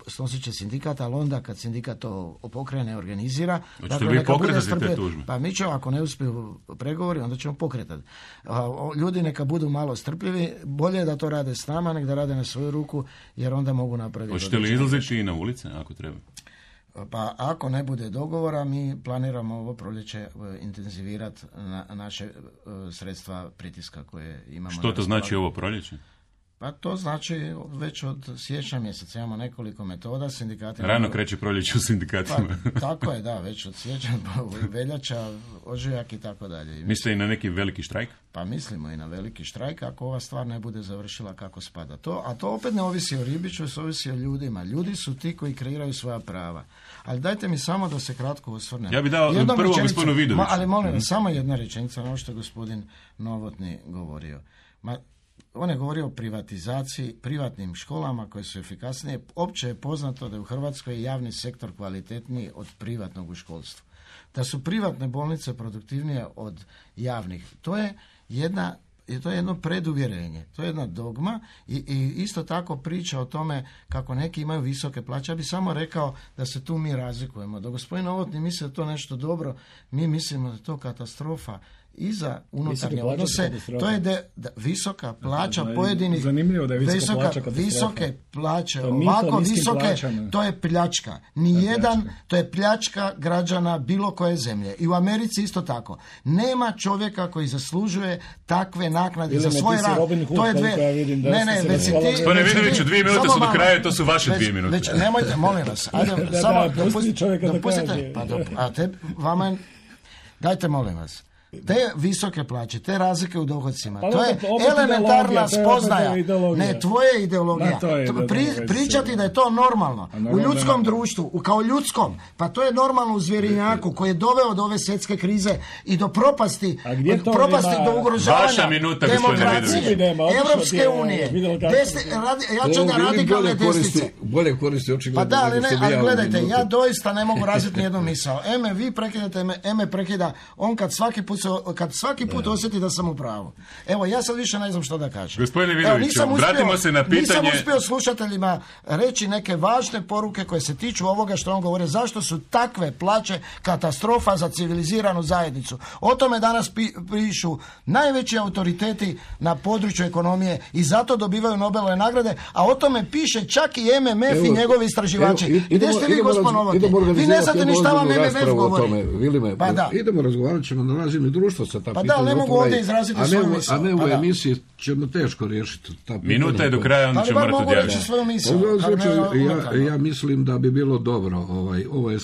snosit će sindikat, ali onda kad sindikat to pokrene, organizira. Hoćete dakle, vi pokretati te tužbe? Pa mi ćemo, ako ne uspiju pregovori, onda ćemo pokretati. Ljudi neka budu malo strpljivi, bolje da to rade s nama, nek da rade na svoju ruku, jer onda mogu napraviti. Hoćete li izlaziti i na ulice, ako treba? Pa ako ne bude dogovora, mi planiramo ovo proljeće intenzivirati na naše sredstva pritiska koje imamo. Što to znači ovo proljeće? Pa to znači već od siječnja mjeseca imamo nekoliko metoda. Sindikati Rano mogu... kreće proljeće u sindikatima. Pa, tako je, da, već od siječnja, veljača, ožujak i tako dalje. Mislite i na neki veliki štrajk? Pa mislimo i na veliki štrajk ako ova stvar ne bude završila kako spada. To, a to opet ne ovisi o Ribiću, to ovisi o ljudima. Ljudi su ti koji kreiraju svoja prava. Ali dajte mi samo da se kratko osvrnem. Ja bih dao Jednom prvo gospodinu Vidoviću. Ma, ali molim vas, mm. samo jedna rečenica na ovo što je gospodin Novotni govorio. Ma, on je govorio o privatizaciji, privatnim školama koje su efikasnije. Opće je poznato da je u Hrvatskoj javni sektor kvalitetniji od privatnog u školstvu. Da su privatne bolnice produktivnije od javnih. To je jedna, to je jedno preduvjerenje, to je jedna dogma i, i isto tako priča o tome kako neki imaju visoke plaće. Ja bih samo rekao da se tu mi razlikujemo. Da gospodin Novotni misli da to nešto dobro, mi mislimo da je to katastrofa i za unutarnje odnose. To je de, da, visoka plaća da, pojedinih... Zanimljivo da je visoka, visoka plaća katastrofa. Visoke plaće, ovako visoke, plaćama. To je pljačka. Nijedan, to je pljačka građana bilo koje zemlje. I u Americi isto tako. Nema čovjeka koji zaslužuje takve naknade ili za svoj rad. To je dve... Ne, ne, već si ti... To ne Vidoviću, dvije minute su do kraja, to su vaše dvije minute. Već, nemojte, molim vas. Ajde, da, samo da, dopustite, dopustite, pa dop, a te, vama, dajte molim vas. Te visoke plaće, te razlike u dohodcima, pa to je elementarna spoznaja. Ne, tvoje ideologija. To je Pri, pričati da je to normalno. U ljudskom društvu, kao ljudskom, pa to je normalno u zvjerinjaku koji je doveo do ove svjetske krize i do propasti, do propasti, do ugrožavanja demokracije, Evropske unije, desni, radi, jačanja radikalne desnice. Bolje koristi očigledno. Pa da, ali, ne, ali gledajte, ja doista ne mogu razviti nijednu misao. Eme vi prekidate, eme prekida, on kad svaki put se, kad svaki put da. osjeti da sam u pravu. Evo, ja sad više ne znam što da kažem. Gospodine Vidoviću, vratimo se na pitanje... Nisam uspio slušateljima reći neke važne poruke koje se tiču ovoga što on govori. Zašto su takve plaće katastrofa za civiliziranu zajednicu? O tome danas pi, pišu najveći autoriteti na području ekonomije i zato dobivaju Nobelove nagrade, a o tome piše čak i M M F evo, i njegovi istraživači. Evo, idemo, Gdje ste vi, gospod Novotny? Vi ne znate ni šta vam M M F govori. Tome, Vilime, pa da. Idemo razgovarat ćemo na razini društva sa ta pa pitanja. Pa da, ne mogu ovdje izraziti svoju misl. A ne u pa emisiji ćemo teško riješiti ta pitanja. Minuta je do kraja, onda ćemo morati odjaviti. Ja, ja mislim da bi bilo dobro. Ovaj, ovo je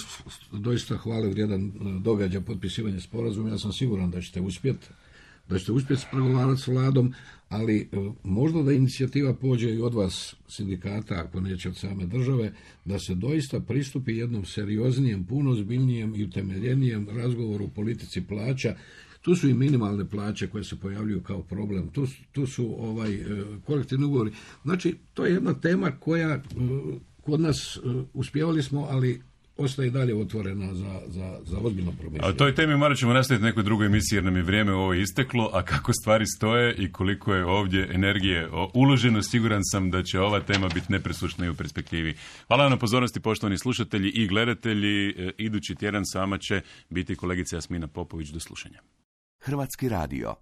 doista hvale vrijedan događaj, potpisivanje sporazuma. Ja sam siguran da ćete uspjeti. da ćete uspjeti pregovarati s vladom, ali možda da inicijativa pođe i od vas sindikata, ako neće od same države, da se doista pristupi jednom serioznijem, puno ozbiljnijem i utemeljenijem razgovoru o politici plaća. Tu su i minimalne plaće koje se pojavljuju kao problem. Tu, tu su ovaj, kolektivni ugovori. Znači, to je jedna tema koja kod nas uspjevali smo, ali ostaje i dalje otvorena za, za, za ozbiljno promišljanje. A o toj temi morat ćemo nastaviti nekoj drugoj emisiji jer nam je vrijeme ovo isteklo, a kako stvari stoje i koliko je ovdje energije uloženo, siguran sam da će ova tema biti nepresušna i u perspektivi. Hvala vam na pozornosti, poštovani slušatelji i gledatelji. Idući tjedan s vama će biti kolegica Jasmina Popović. Do slušanja. Hrvatski radio.